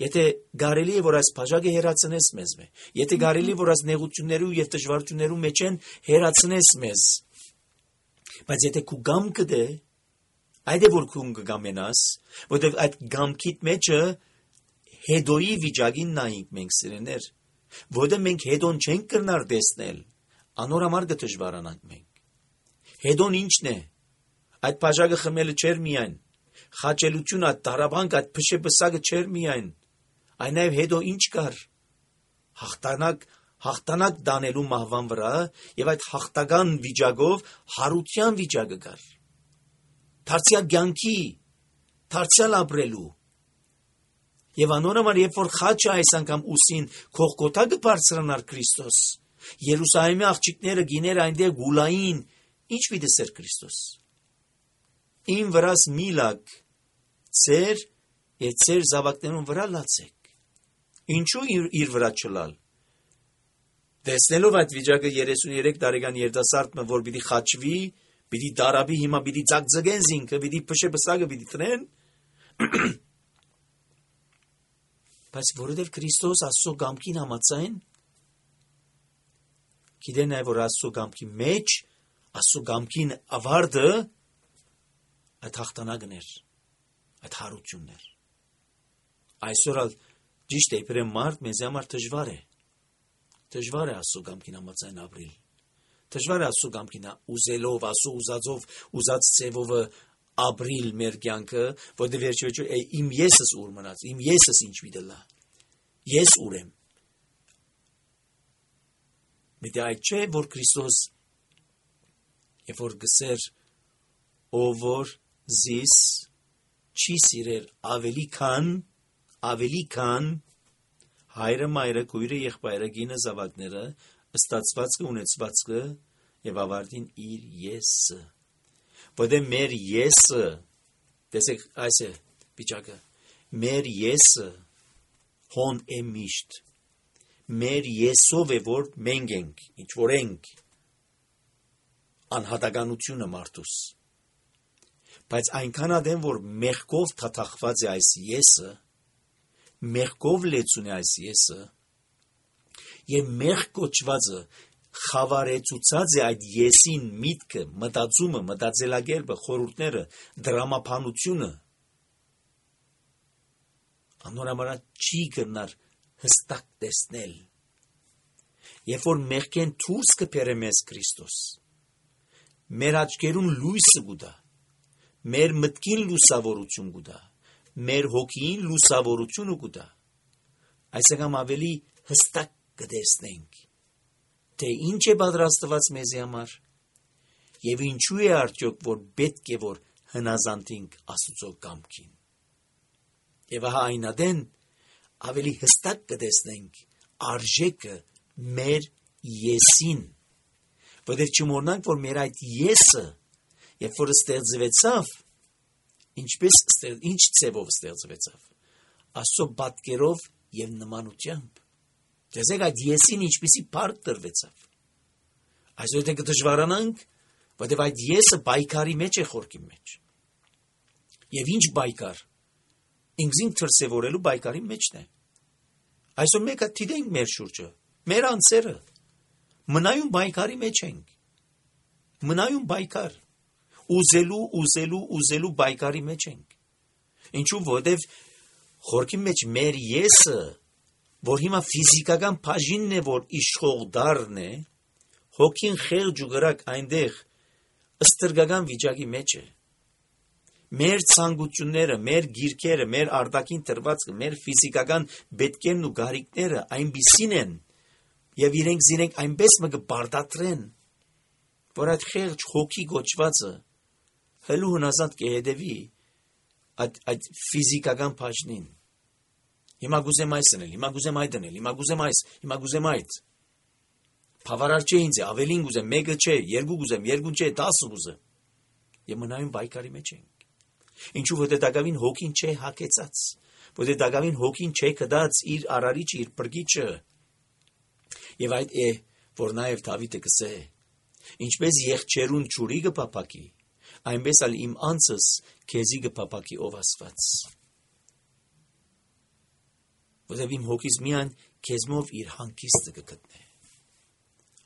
Եթե կարելի է, որ այս բաժակը հերացնես մեզ մե, եթե կարելի է, որ այս նեղություններու եւ դժվարություններու մեջ են հերացնես մեզ, բայց եթե քու գամքը դե, այդ է որ քու կգամենաս, որտեղ այդ գամքիդ մեջը հետոյի վիճակին նայենք մենք սիրեներ, որտեղ մենք հետոն չենք կրնար տեսնել, անոր համար կդժվարանանք մենք։ Հետոն ինչն է, այդ բաժակը խմելը չէր միայն, խաչելությունը, այդ դարաբանք, այդ փշեպսակը չէր միայն, այն նաև հետո ինչ կար, հաղթանակ, հաղթանակ դանելու մահվան վրա եւ այդ հաղթական վիճակով հարության վիճակը կար, դարձյալ կյանքի, դարձյալ ապրելու եւ անոր համար երբ որ խաչը այս անգամ ուսին Գողգոթա բարձրանար Քրիստոս, Երուսաղեմի աղջիկները գիներ այնտեղ գուլային, ինչ վիդեսեր Քրիստոս։ Իմ վրաս միլակ ծեր եւ ծեր զավակներուն վրա լացեք։ Ինչու իր, իր վրա չլալ։ Տեսնելով այդ վիճակը երեսունյերեք տարեկան երիտասարդը, որ պիտի խաչվի, պիտի դարաբի, հիմա պիտի ծակծկեն զինքը, պիտի փշեպսակը պիտի տնեն։ Բայց որովհետև Քրիստոս Աստծո գամքին համաձայն, գիտե նաև որ Աստծո գամքի մեջ, Աստծո գամքին ավարտը այդ հաղթանակն էր, այդ հարությունն էր։ Այսօր ալ ճիշտ է, իբրև մարդ մեզ համար դժվար է։ Դժվար է Աստծո գամքին համաձայն ապրել։ Դժվար է Աստծո գամքին ուզելով, Աստծո ուզածով, ուզած ձևով ապրիլ մեր կյանքը, որտեղ վերջիվերջո իմ եսս ուր մնաց, իմ եսս ինչ վիդելա։ Ես ուր եմ։ Միտի այդ չէ, որ Քրիստոս երբ որ գսեր ով որ զիս չի սիրեր ավելի քան, ավելի քան հայրը, մայրը, քույրը, եղբայրը, գինը, զավակները, ստացվածքը, ունեցվածքը եւ ավարտին իր եսը։ Որտեղ մեր եսը, տեսեք այս է վիճակը, մեր եսը հոն է միշտ, մեր եսով է որ մենք ենք, ինչ որ ենք, անհատականությունը մարդուս, բայց այնքան ադեմ որ մեղքով թաթախված է այս եսը, մեղքով լեցուն է այս եսը, եւ մեղք կոչվածը խավարեցուցած է այդ եսին միտքը, մտածումը, մտածելակերպը, խորհուրդները, դրամապանությունը, անորամարա չի կրնար հստակ տեսնել։ Երբ որ մեղքեն դուրս կբերե մեզ Քրիստոս, մեր աչքերուն լույսը գուտա, մեր մտքին լուսավորություն գուտա, մեր հոգին լուսավորությունը գուտա, այսինքն ավելի հստակ կտեսնենք, թե ինչ է պատրաստված մեզի համար եւ ինչու է արդյոք որ պետք է որ հնազանդենք Աստծո կամքին։ Եվ ահա այնադեն ավելի հստակ կտեսնենք արժեքը մեր եսին, որտեղ չմոռնանք որ մեր այդ եսը երբ որ ստեղծվեցավ, ինչպես ինչ ցևով ստեղծվեցավ, Աստծո պատկերով եւ նմանությամբ։ Տեսեք այդ եսին ինչպիսի բարդ տրվեցավ։ Այսօր դե կդժվարանանք, որտեղ այդ եսը բայկարի մեջ է խորքի մեջ։ Եվ ինչ բայկար։ Ինքզին դրսևորելու բայկարի մեջն է։ Այսօր մեկը դիտենք մեր շուրջը, մեր անձերը, մնայուն բայկարի մեջ ենք։ Մնայուն բայկար։ Ուզելու, ուզելու, ուզելու բայկարի մեջ ենք։ Ինչու որտեղ խորքի մեջ մեր եսը, որ հիմա ֆիզիկական բաժինն է, որ իշխող դառն է, Հոգին խեղճ ու գրակ այնտեղ ստրգական վիճակի մեջ է։ Մեր ցանկությունները, մեր գիրքերը, մեր արտաքին տրվածքը, մեր ֆիզիկական պետքերն ու գարիքները այնպիսին են եւ իրենք զիրենք այնպես մը կբարդատրեն, որ այդ խեղճ հոգի գոչվածը հելու հնազանդ կհետևի այդ այդ ֆիզիկական բաժնին։ Հիմա գուզեմ այս անել, հիմա գուզեմ այդ անել, հիմա գուզեմ այս, հիմա գուզեմ այդ։ Բավարար չէ ինձ, ավելին գուզեմ, մեկը չէ, երկու գուզեմ, երկուն չէ, տասը գուզեմ։ Եվ մնայուն բայկարի մեջ ենք։ Ինչու որ դետակավին հոգին չէ հակեցած, որ դետակավին հոգին չէ կդած իր արարիչը, իր բրգիչը։ Եվ այդ է, որ նաև Դավիթը կսե, ինչպես եղջերուն ջուրի կփափակի, այնպես ալ իմ անձս քեզի կփափակի ով Աստված։ Որտեւ իմ հոգիս միան քեզմով իր հանգիստը կգտնե։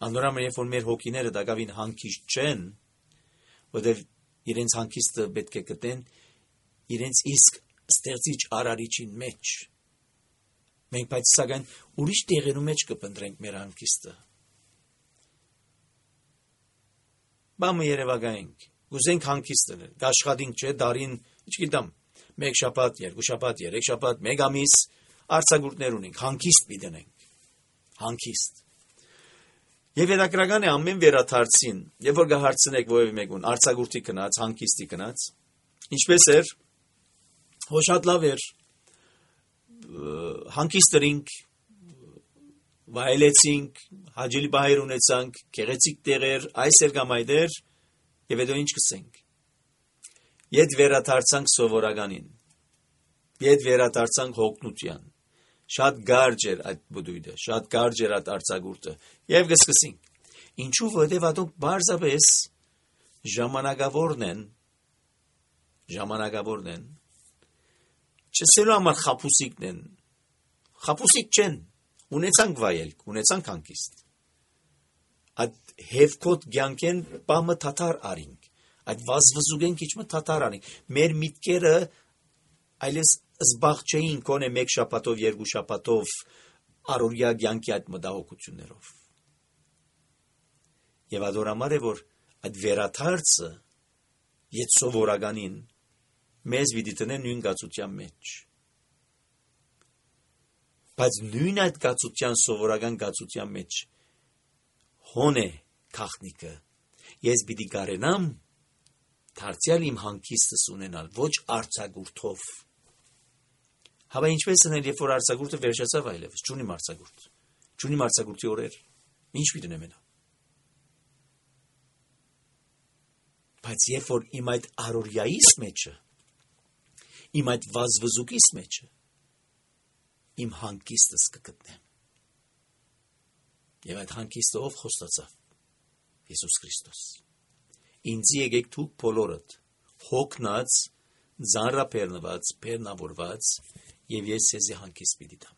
Անորամը երբ որ մեր հոգիները դակավին հանգիստ չեն, որտեւ իրենց հանգիստը պետք է գտնեն իրենց իսկ ստեղծիչ արարիչին մեջ։ Մենք բայց սակայն ուրիշ տեղերու մեջ կփնտրենք մեր հանգիստը։ Բամը երևակայենք, գուզենք հանգիստ լինել, աշխատենք չէ, դարին, չգիտեմ, մեկ շաբաթ, երկու շաբաթ, երեք շաբաթ, մեկ ամիս արձակուրդներ ունենք, հանգիստ պիտենենք, հանգիստ։ Եվ հետաքրական է ամեն վերաթարցին, երբ որ կհարցնեք որևէ մեկուն արձակուրդի գնաց, հանգիստի գնաց, ինչպես էր, հո շատ լավ էր, հանգիստ էինք, վայելեցինք, հաճելի բահեր ունեցանք, գեղեցիկ տեղեր, այս էր կամ այդ էր, եւ հետո ինչ կսենք։ Ետ վերաթարցանք սովորականին, ետ վերաթարցանք հոգնության, շատ գարջ էր այդ բդույթը, շատ գարջ էր այդ արձակուրդը, եւ կսկսենք։ Ինչու որտեւ ադոնք բարձրապես ժամանակավորն են, ժամանակավորն են, չսելու համար խապուսիկն են, խապուսիկ չեն, ունեցանք վայելք, ունեցանք հանգիստ։ Այդ հևկոտ գյանքեն բամը թաթար արինք, այդ վազվզուգեն քիչմը թաթար արինք, մեր միտքերը այլես զբաղ չէին կոնե մեկ շաբաթով, երկու շաբաթով առօրյա գյանքի այդ մտահոգություններով։ Եվ adorամար է, որ այդ վերաթարցը ետ սովորականին մեզ պիտի տնե նույն գացության մեջ։ Բայց նույն այդ գացության սովորական գացության մեջ հոն է քաղտնիկը։ Ես պիտի կարենամ դարձյալ իմ հանգիստս ունենալ, ոչ արձակուրդով։ Հավա ինչպես անել, երբ որ արձակուրդը վերջացավ այլևս, չունիմ արձակուրդ, չունիմ արձակուրդի օրեր, ինչ պիտի ունեմ նա։ Բայց երբ որ իմ այդ առօրյայիս մեջը, իմ այդ վազվզուկիս մեջը, իմ հանգիստս կգտնեմ։ Եվ այդ հանգիստը ով խոստացավ։ Հիսուս Քրիստոս։ Ինձի եկեք դուք բոլորդ, հոգնած, ձանրապերնված, բեռնավորված, եւ ես ձեզի հանգիստ պիտի տամ։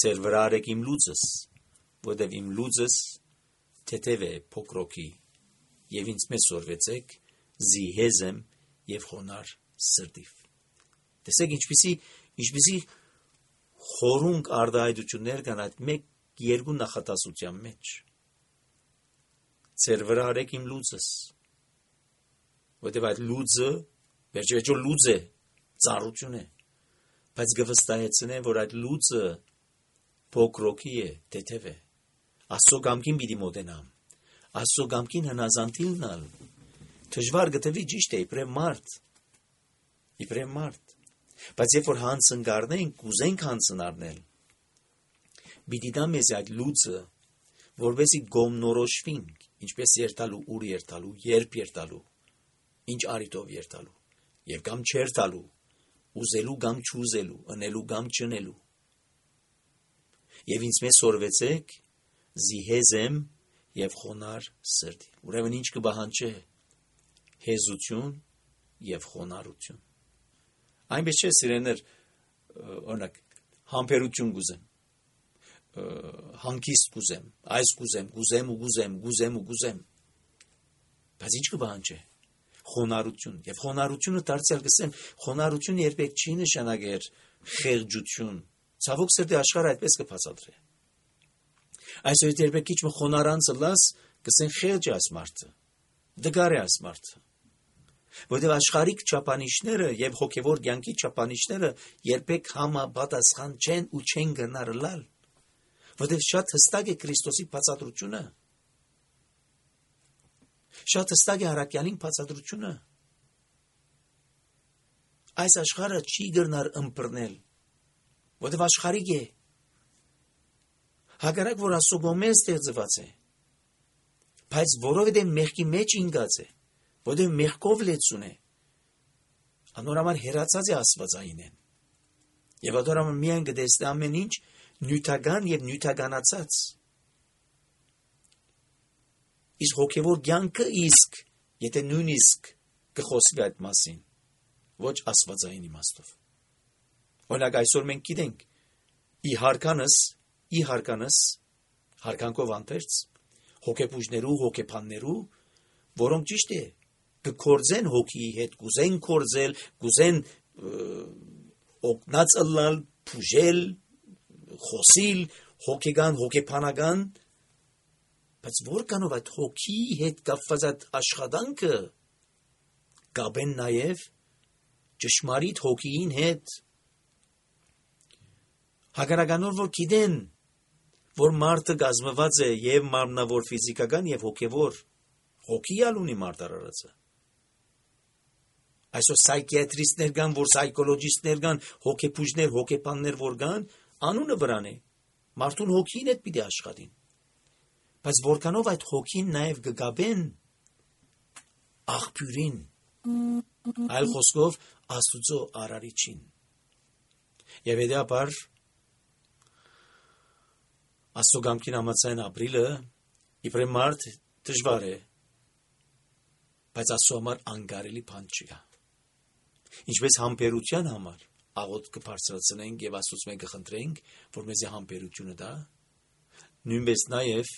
Ձեր վրա արեք իմ լուծս, որտեւ իմ լուծս թեթև է փոքրոքի, եւ ինձ մեզ սորվեցեք, զիհեզ եմ եւ խոնար սրտիվ։ Տեսեք ինչպիսի, ինչպիսի խորունկ արդահայտություններ կան այդ մեկ երկու նախատասության մեջ։ Ձեր վրա արեք իմ լուծս, որտեւ այդ լուծը վերջերջո լուծ է, ծառություն է, բայց գվստահեցնե, որ այդ լուծը փոքրոքի է, թեթև է։ Աստծո կամքին պիտի մոտենամ, Աստծո կամքին հնազանդիլնալ, դժվար գտվի ճիշտ է, իբրև մարդ, իբրև մարդ, բայց երբ որ հանցնկարնենք, կուզենք հանցնարնել, պիտի դա մեզ այդ լուծը, որպեսզի գոմնորոշվենք, ինչպես երթալու, ուր երթալու, երբ երթալու, ինչ արիտով երթալու, եւ կամ չերթալու, ուզելու կամ չուզելու, ընելու կամ չընելու։ Եվ ինձ մեզ սորվեցեք, զիհեզեմ եւ խոնար սրտի։ Ուրեմն ինչ կբահանջե հեզություն եւ խոնարհություն։ Այնպես չէ, սիրեներ, օրինակ, համբերություն գուզեմ, հանգիստ գուզեմ, այս գուզեմ, գուզեմ ու գուզեմ, գուզեմ ու գուզեմ։ Բայց ինչ կբահանջե խոնարհություն, եւ խոնարհությունը դարձյալ կսեմ, խոնարհությունը երբեք չի նշանակեր խեղճություն։ Ցավոք սրտի աշխարհը այդպես կբացատրի։ Այսօր երբեք քիչ մը խոնարանցը լաս կսեն խելջ այս մարդը դգար է այս մարդը որտեղ աշխարհիկ չափանիշները եւ հոգեվոր կյանքի չափանիշները երբեք համապատասխան չեն ու չեն գնար լալ որտեղ շատ հստակ է Քրիստոսի բացատրությունը շատ հստակ է Առաքյալին բացատրությունը այս աշխարհը չի գնար ըմբռնել որտեղ աշխարհիկ է հակառակ որ ասոգոմե ստեղծված է բայց որովհետև մեղքի մեջ ինգած է որովհետև մեղքով լեցուն է անորամար հերացած է աստվածայինեն եւ adorama միայն գտեսնի ամեն ինչ նյութական եւ նյութականացած իսկ հոգեվոր կյանքը իսկ եթե նույնիսկ կխոսվի այդ մասին ոչ աստվածային իմաստով օրինակ այսօր մենք գիտենք ի հարկանս ի հարկանս հարկանքով անտերց հոգեբուժներու հոգեբաններու որոնք ճիշտ է կկործեն հոգիի հետ կուզեն կործել կուզեն օգնած ըլլալ փուժել խոսիլ հոգեգան հոգեբանական բայց որքանով այդ հոգիի հետ կապված այդ աշխատանքը կապեն նաև ճշմարիտ հոգիին հետ հակառականոր որ գիտեն որ մարդը գազմված է եւ մարմնավոր ֆիզիկական եւ հոգեվոր հոգիալ ունի մարդարարածը այսօր սայքիատրիստներ կան որ սայկոլոգիստներ կան հոգեբուժներ հոգեբաններ որ կան անունը վրան է մարդուն հոգին հետ պիտի աշխատին բայց որքանով այդ հոգին նաև կգաբեն աղբյուրին այլ խոսքով Աստուծո արարիչին եւ հետեւաբար Աստուգամքին համացան ապրիլը իբրե մարդ դժվար է բայց Աստծո համար անկարելի բան չկա ինչպես համբերության համար աղոտ կբարձրացնենք եւ Աստծուց մենք կխնդրենք որ մեզի համբերությունը տա նույնպես նաեւ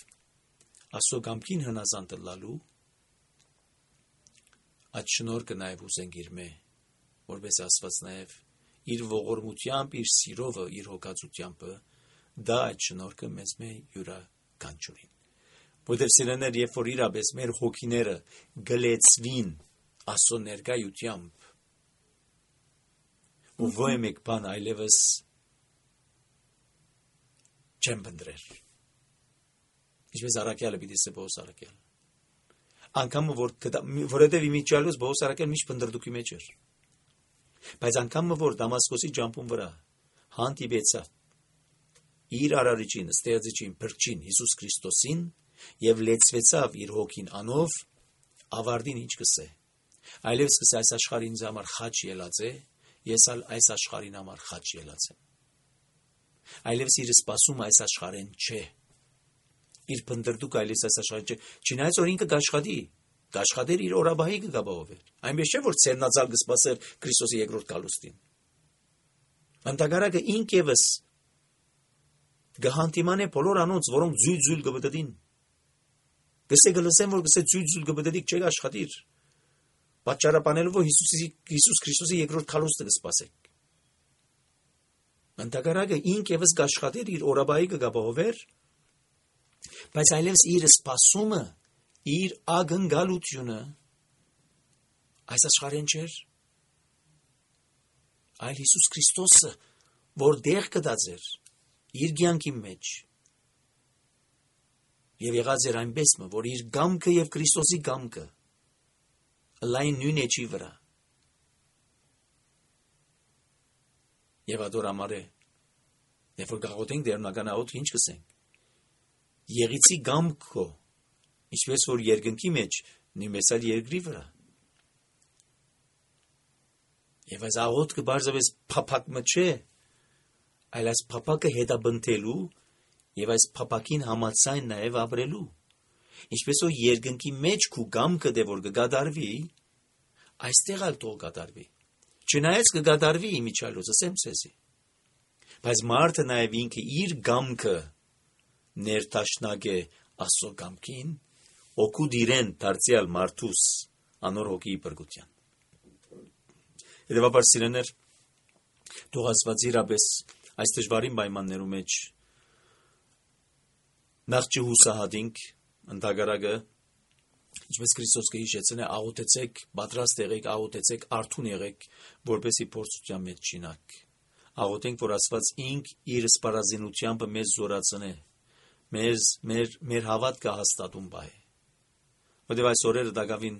Աստուգամքին հնազանդ լալու այդ շնորհքը նաեւ ուզենք իր մե որպես Աստված նաեւ իր ողորմությամբ իր սիրովը իր հոգացությամբ դա այդ շնորհքը մեզ մե յուրաքանչյուրին որտեղ սիրեներ երբ որ իրապես մեր հոգիները գլեցվին Աստծո ներկայությամբ ու ոյ մեկ բան այլևս չեմ բնդրեր ինչպես Առաքյալը պիտի սե Պողոս Առաքյալ անգամ որ որովհետև իմիջիալոս Պողոս Առաքյալ միշտ բնդրդուքի մեջ էր բայց անգամ որ Դամասկոսի ջամփուն վրա հանդիպեցավ իր արարիչին ստեղծիչին փրկչին Հիսուս Քրիստոսին եւ լեցվեցավ իր հոգին անով ավարտին ինչ կսե այլևս կսե այս աշխարհին ինձ համար խաչ ելած է ես ալ այս աշխարհին համար խաչ ելած եմ այլևս իր սպասում այս աշխարհեն չէ իր բնդրդուք այլևս այս աշխարհին չէ չնայած որ ինքը կաշխատի կաշխատեր իր օրաբահի կգաբովեր այնպես չէ որ ցերնածալ կսպասեր Քրիստոսի երկրորդ գալուստին Անտագարակը ինքևս գահանտիմանե բոլոր անոնց որոնք զույլ-զույլ կբդդին գսե գլսեն որ գսե զույլ-զույլ կբդդիկ չէ աշխատիր պատճառաբանելով որ Հիսուսի Հիսուս Քրիստոսի երկրորդ քալուստը կսպասեք Անտագարակը ինքևս կաշխատեր իր օրաբահի կգաբովեր բայց այլևս իր սպասումը իր ագնգալությունը այս աշխարհեն չէր այլ Հիսուս Քրիստոսը որ դեղ կդածեր իր կյանքի մեջ եւ եղած էր այնպես որ իր գամքը եւ Քրիստոսի գամքը լայն նույն էջի վրա եւ adorամարե երբ որ գաղութենք դերնական աղոտ ինչ կսենք եղիցի գամքո ինչպես որ երկնքի մեջ նույնպես այլ երկրի վրա եւ այս աղոտ կբարձրապես փափակը չէ այլ այս փափակը հետաբնթելու եւ այս փափակին համացայն նաեւ ապրելու ինչպես որ երկնքի մեջ քու գամքը դե որ կգադարվի այստեղ ալ թող գադարվի չնայած կգադարվի իմիջալոց ասեմ ցեզի բայց մարդը նաեւ ինքը իր գամքը ներտաշնակ է Աստծո գամքին օգու դիրեն դարձյալ մարդուս անոր հոգի բրգության Եդեվաբար սիրեներ թող Աստված իրապես այս դժվարին պայմաններու մեջ նախ չհուսահատինք ընդհանրակը, ինչպես Քրիստոս կհիշեցնե, աղոթեցեք, պատրաստ եղեք, աղոթեցեք, արթուն եղեք, որպեսզի փորձության մեջ չինաք։ Աղոթենք, որ Աստված ինք իր սպառազինությամբ մեզ զորացնե, մեզ մեր մեր հավատքը հաստատում բայ։ Որտեղ այս օրերը դակավին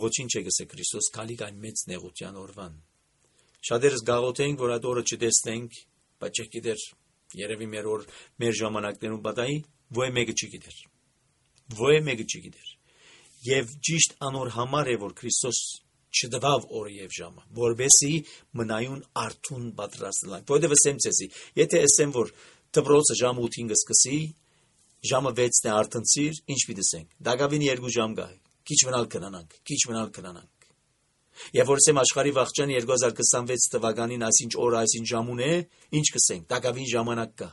ոչինչ է գսե Քրիստոս քալիկ այն մեծ նեղության օրվան։ Շատերս գաղոթենք, որ այդ օրը չտեսնենք, բայց չգիտեր, երևի մեր օր մեր ժամանակներում պատահի, ոչ մեկը չգիտեր։ Ոչ մեկը չգիտեր։ Եվ ճիշտ անոր համար է, որ Քրիստոս չդվավ օրը եւ ժամը, որբեսի մնայուն արթուն պատրաստ լինի։ Որտեղ ասեմ ցեսի, եթե ասեմ, որ դպրոցը ժամը ութին կսկսի, ժամը վեցն է արթնցիր, ինչ պիտի ասենք։ Դակավին երկու ժամ գա, քիչ մնալ կնանանք, քիչ մնալ կնանանք։ Եվ որ ասեմ աշխարհի վաղճան երկու հազար քսանվեց թվականին այսինչ օր այսինչ ժամուն է, ինչ կսենք, դակավին ժամանակ կա։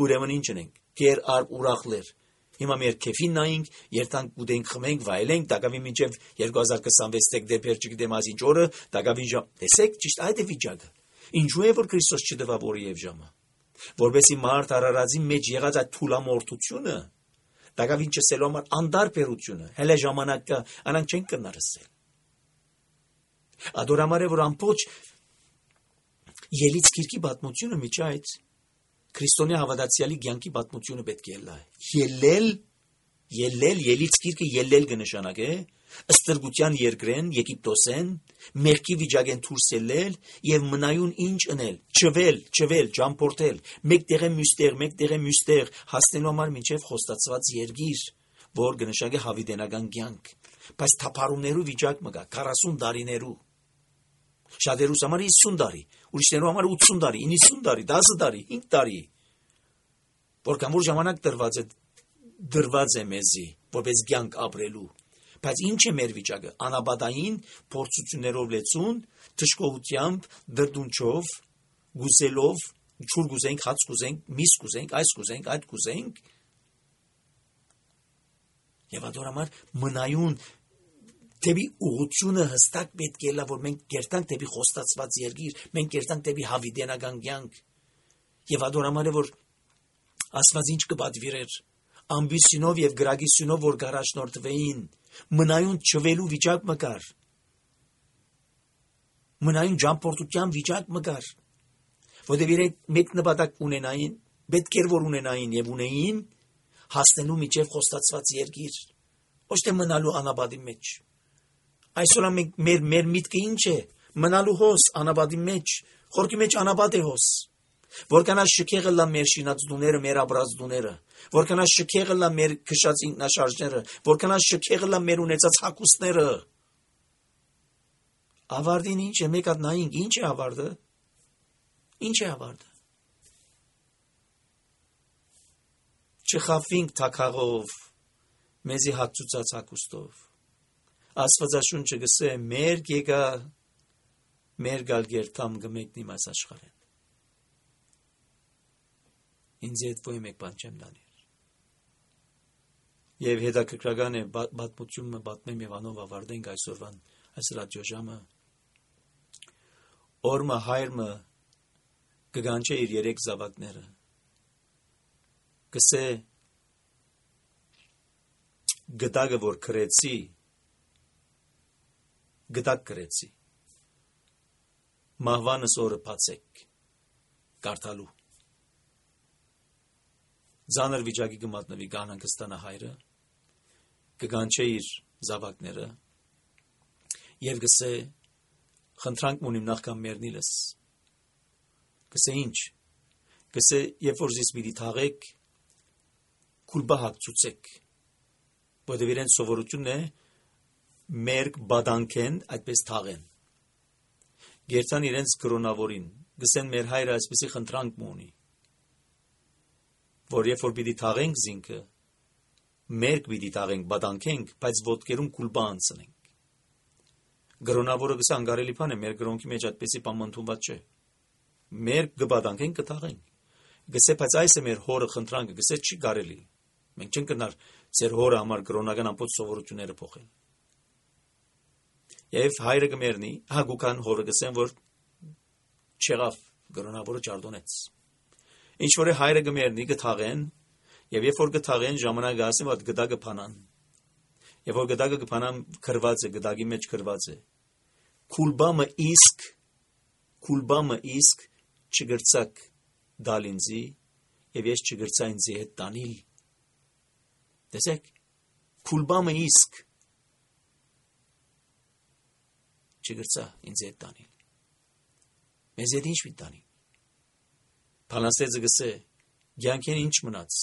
Ուրեմն ինչ ունենք, կեր արբ ուրախներ։ Հիմա մեր քեֆին նայենք, երթանք ուտենք, խմենք, վայելենք, դակավին մինչև երկու հազար քսանվեց դեկտեմբեր չգիտեմ այսինչ օրը, դակավին ժամ։ Տեսեք, ճիշտ այդ է վիճակը։ Ինչու է որ Քրիստոս չդվավ օրը եւ ժամը։ Որբեսի մարդ արարածի մեջ եղած այդ թուլամորթությունը, դակավին չսելու համար անդարբերությունը, հələ ժամանակ կա, անանք չեն կնարսել։ Ադորամար է որ ամբողջ ելից գիրքի պատմությունը միջի այդ քրիստոնյա հավատացյալի կյանքի պատմությունը պետք է լա։ Ելել, ելել, ելից գիրքը ելել կնշանակե, ըստրգության երկրեն, Եգիպտոսեն, մեղքի վիճակեն դուրս ելել եւ մնայուն ինչ ընել, չվել, չվել, ճամփորդել, մեկտեղ է մյուստեղ, մեկտեղ է մյուստեղ, հասնելու համար մինչեւ խոստացված երկիր, որ կնշանակե հավիտենական կյանք։ Բայց թափառումներու վիճակ մը կա, քառասուն տարիներու։ Շատերուս համար հիսուն տարի, ուրիշներու համար ութսուն տարի, իննսուն տարի, դասը տարի, հինգ տարի։ Որքան որ ժամանակ դրված է դրված է մեզի, որպես կյանք ապրելու։ Բայց ինչ է մեր վիճակը, անաբադային փորձություններով լեցուն, թշկողությամբ, դրդունչով, գուսելով, չուր գուզենք, հաց գուզենք, միս գուզենք, այս գուզենք, այդ գուզենք։ Եվ ադորամար մնայուն դեպի ուղղությունը հստակ պետք է լա, որ մենք կերտանք դեպի խոստացված երկիր, մենք կերտանք դեպի հավիտենական կյանք։ Եվ ադորամար է որ Աստված ինչ կպատվիրեր, ամբիսյունով եւ գրագիսյունով որ գարաշնորթվեին, մնայուն չվելու վիճակ մը կար, մնայուն ճամփորդության վիճակ մը կար, որտեղ իրենք մեկ նպատակ ունենային, պետք էր որ ունենային եւ ունեին հասնելու միջև խոստացված երկիր, ոչ թե մնալու անաբադի մեջ։ Այսօր մենք մեր մեր միտքը ինչ է, մնալու հոս անաբադի մեջ, խորքի մեջ անաբադ է հոս։ Որքանա շքեղը լա մեր շինած դուները, մեր ապրած դուները, որքանա շքեղը լա մեր քշած ինքնաշարժները, որքանա շքեղը լա մեր ունեցած հակոստները։ Ավարտին ինչ է, մեկ հատ նայենք, ինչ է ավարտը։ Ինչ է ավարտը։ Չխավինք թակաղով, մեզի հացուցած հակոստով։ Աստվածաշունչը գսե մեր գեգա մեր գալ գերտամ գմեկնի մաս աշխարհեն։ Ինձ հետ ոյ մեկ բան չեմ դանիր։ Եվ հետաքրքրական է պատմությունը պատմեմ եւ անով ավարտենք այսօրվան այս ռադիոժամը։ Օրմը հայրը կգանչե իր երեք զավակները։ Գսե գտակը որ քրեցի գտակ կրեցի, մահվանս օրը պացեք, կարդալու, ձանր վիճակի կմատնվի գանան կստանա հայրը, կգանչե իր զավակները, և գսե, խնդրանք մունիմ նախքան մերնիլս, գսե ինչ, գսե, երբ որ զիս միտի թաղեք, կուլբա հակցուցեք, որտև իրեն սովորությունն է, մերկ բադանքեն այդպես թաղեն։ Գերցան իրենց կրոնավորին, գսեն մեր հայրը այսպեսի խնդրանք մունի, որ երբ որ պիտի թաղենք զինքը, մերկ պիտի թաղենք, բադանքենք, բայց ոտքերում կուլբա անցնենք։ Կրոնավորը գսա անգարելի բան է, մեր կրոնքի մեջ այդպեսի բան ընդունված չէ։ Մերկ կբադանքենք, կթաղենք։ Գսե, բայց այս է մեր հորը խնդրանքը, գսե չի կարելի։ Մենք չենք կնար ձեր հորը համար կրոնական ամբողջ սովորությունները փոխել։ Եվ հայրը կմերնի, հագուկան հորը գսեն, որ չեղավ, կրոնավորը ճարդոնեց։ Ինչ որ է հայրը կմերնի, կթաղեն, Եվ երբ որ գթաղեն ժամանակը ասեմ, որ գդակը փանան։ Եվ որ գդակը կփանան քրված է, գդակի մեջ քրված է։ Քուլբամը իսկ քուլբամը իսկ չգրցակ դալ ինձի եւ ես չգրցա ինձի հետ տանիլ։ Տեսեք, քուլբամը իսկ չգրցա ինձի հետ տանիլ։ Մեզ հետ ինչ մի տանի։ Փանաստեղծը գսե, ցանկեն ինչ մնաց։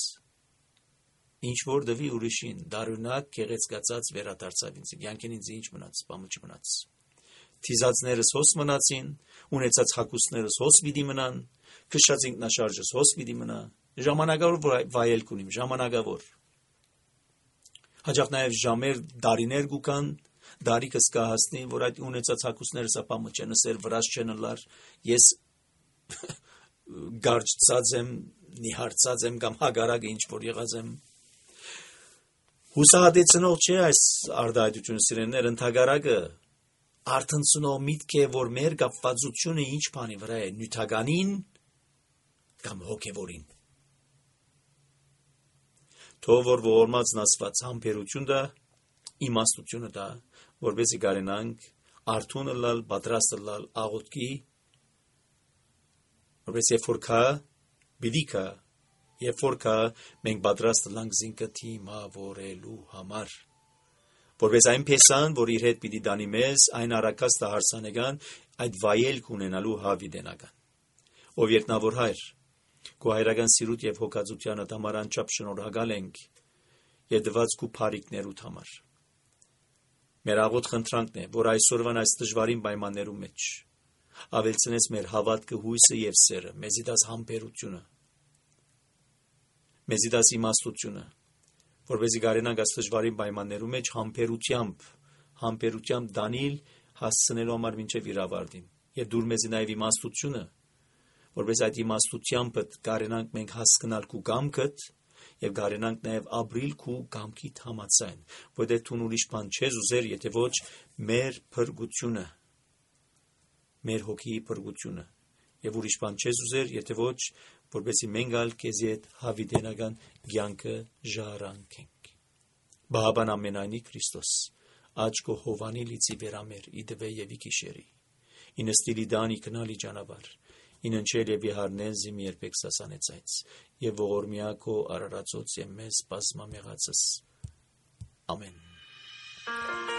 Ինչ որ դվի ուրիշին, դարունակ գեղեցկացած վերադարձավ ինձ։ Ցանկեն ինձ ինչ մնաց, բամը չմնաց։ Թիզածներս հոս մնացին, ունեցած հակուսներս հոս պիտի մնան, քշած ինքնաշարժս հոս պիտի մնա, ժամանակավոր վայելք ունիմ, ժամանակավոր։ Հաջող նաև ժամեր, դարիներ գուքան, դարիքս կհասնի, որ այդ ունեցած հակուսներս ապամը չեն ասել, վրաս չեն լար, ես գարջծած եմ, նիհարցած եմ կամ հագարակը ինչ որ եղած եմ։ Հուսահատեցնող չէ այս արդայությունը սիրելիներ, ընդհակառակը արթնցնող միտք է, որ մեր կապվածությունը ինչ բանի վրա է, նյութականին կամ հոգևորին։ Թող որ ողորմածն Աստված համբերություն դա, իմաստությունը դա, որպեսզի կարենանք արթուն լալ, պատրաստ լալ աղոթքի, որպես երբ որ կա, պիտի կա, երբ որ կա, մենք պատրաստ լանք զինքը թիմավորելու համար, որպես այն փեսան, որ իր հետ պիտի դանի մեզ, այն առակաստը հարսանեկան, այդ վայելք ունենալու հավիդենական։ Ով երկնավոր հայր, քո հայրական սիրուտ եւ հոգածությանը համար անչափ շնորհակալ ենք եւ դված քո բարիքներուդ համար։ Մեր աղոթ խնդրանքն է, որ այսօրվան այս դժվարին պայմաններում մեջ ավելցնես մեր հավատքը, հույսը եւ սերը, մեզի դաս համբերությունը, մեզի դաս իմաստությունը, որպեսզի կարենանք այս դժվարին պայմաններում մեջ համբերությամբ, համբերությամբ դանիլ հասցնելու համար մինչև իր ավարտին եւ դուր մեզի նաեւ իմաստությունը, որպես այդ իմաստությամբ կարենանք մենք հասկանալ քու կամքդ եւ կարենանք նաեւ ապրիլ քու կամքիդ համաձայն, որտեղ դու ուրիշ բան չես ուզեր, եթե ոչ մեր փրկությունը, մեր հոգիի փրկությունը եւ ուրիշ բան չես ուզեր, եթե ոչ որպեսզի մենք ալ քեզի հետ հավիտենական կյանքը ժառանգենք։ Բահաբան ամենայնի Քրիստոս, աչքո հովանի լիցի վերամեր իդվե եւ իքիշերի, ինստիլի դանի կնալի ճանապարհ, ինընչել եւ իհարնեն զիմ երբեք սասանեցայց, եւ ողորմիակո արարածոց եւ մեզ բազմամեղացս։ Ամեն։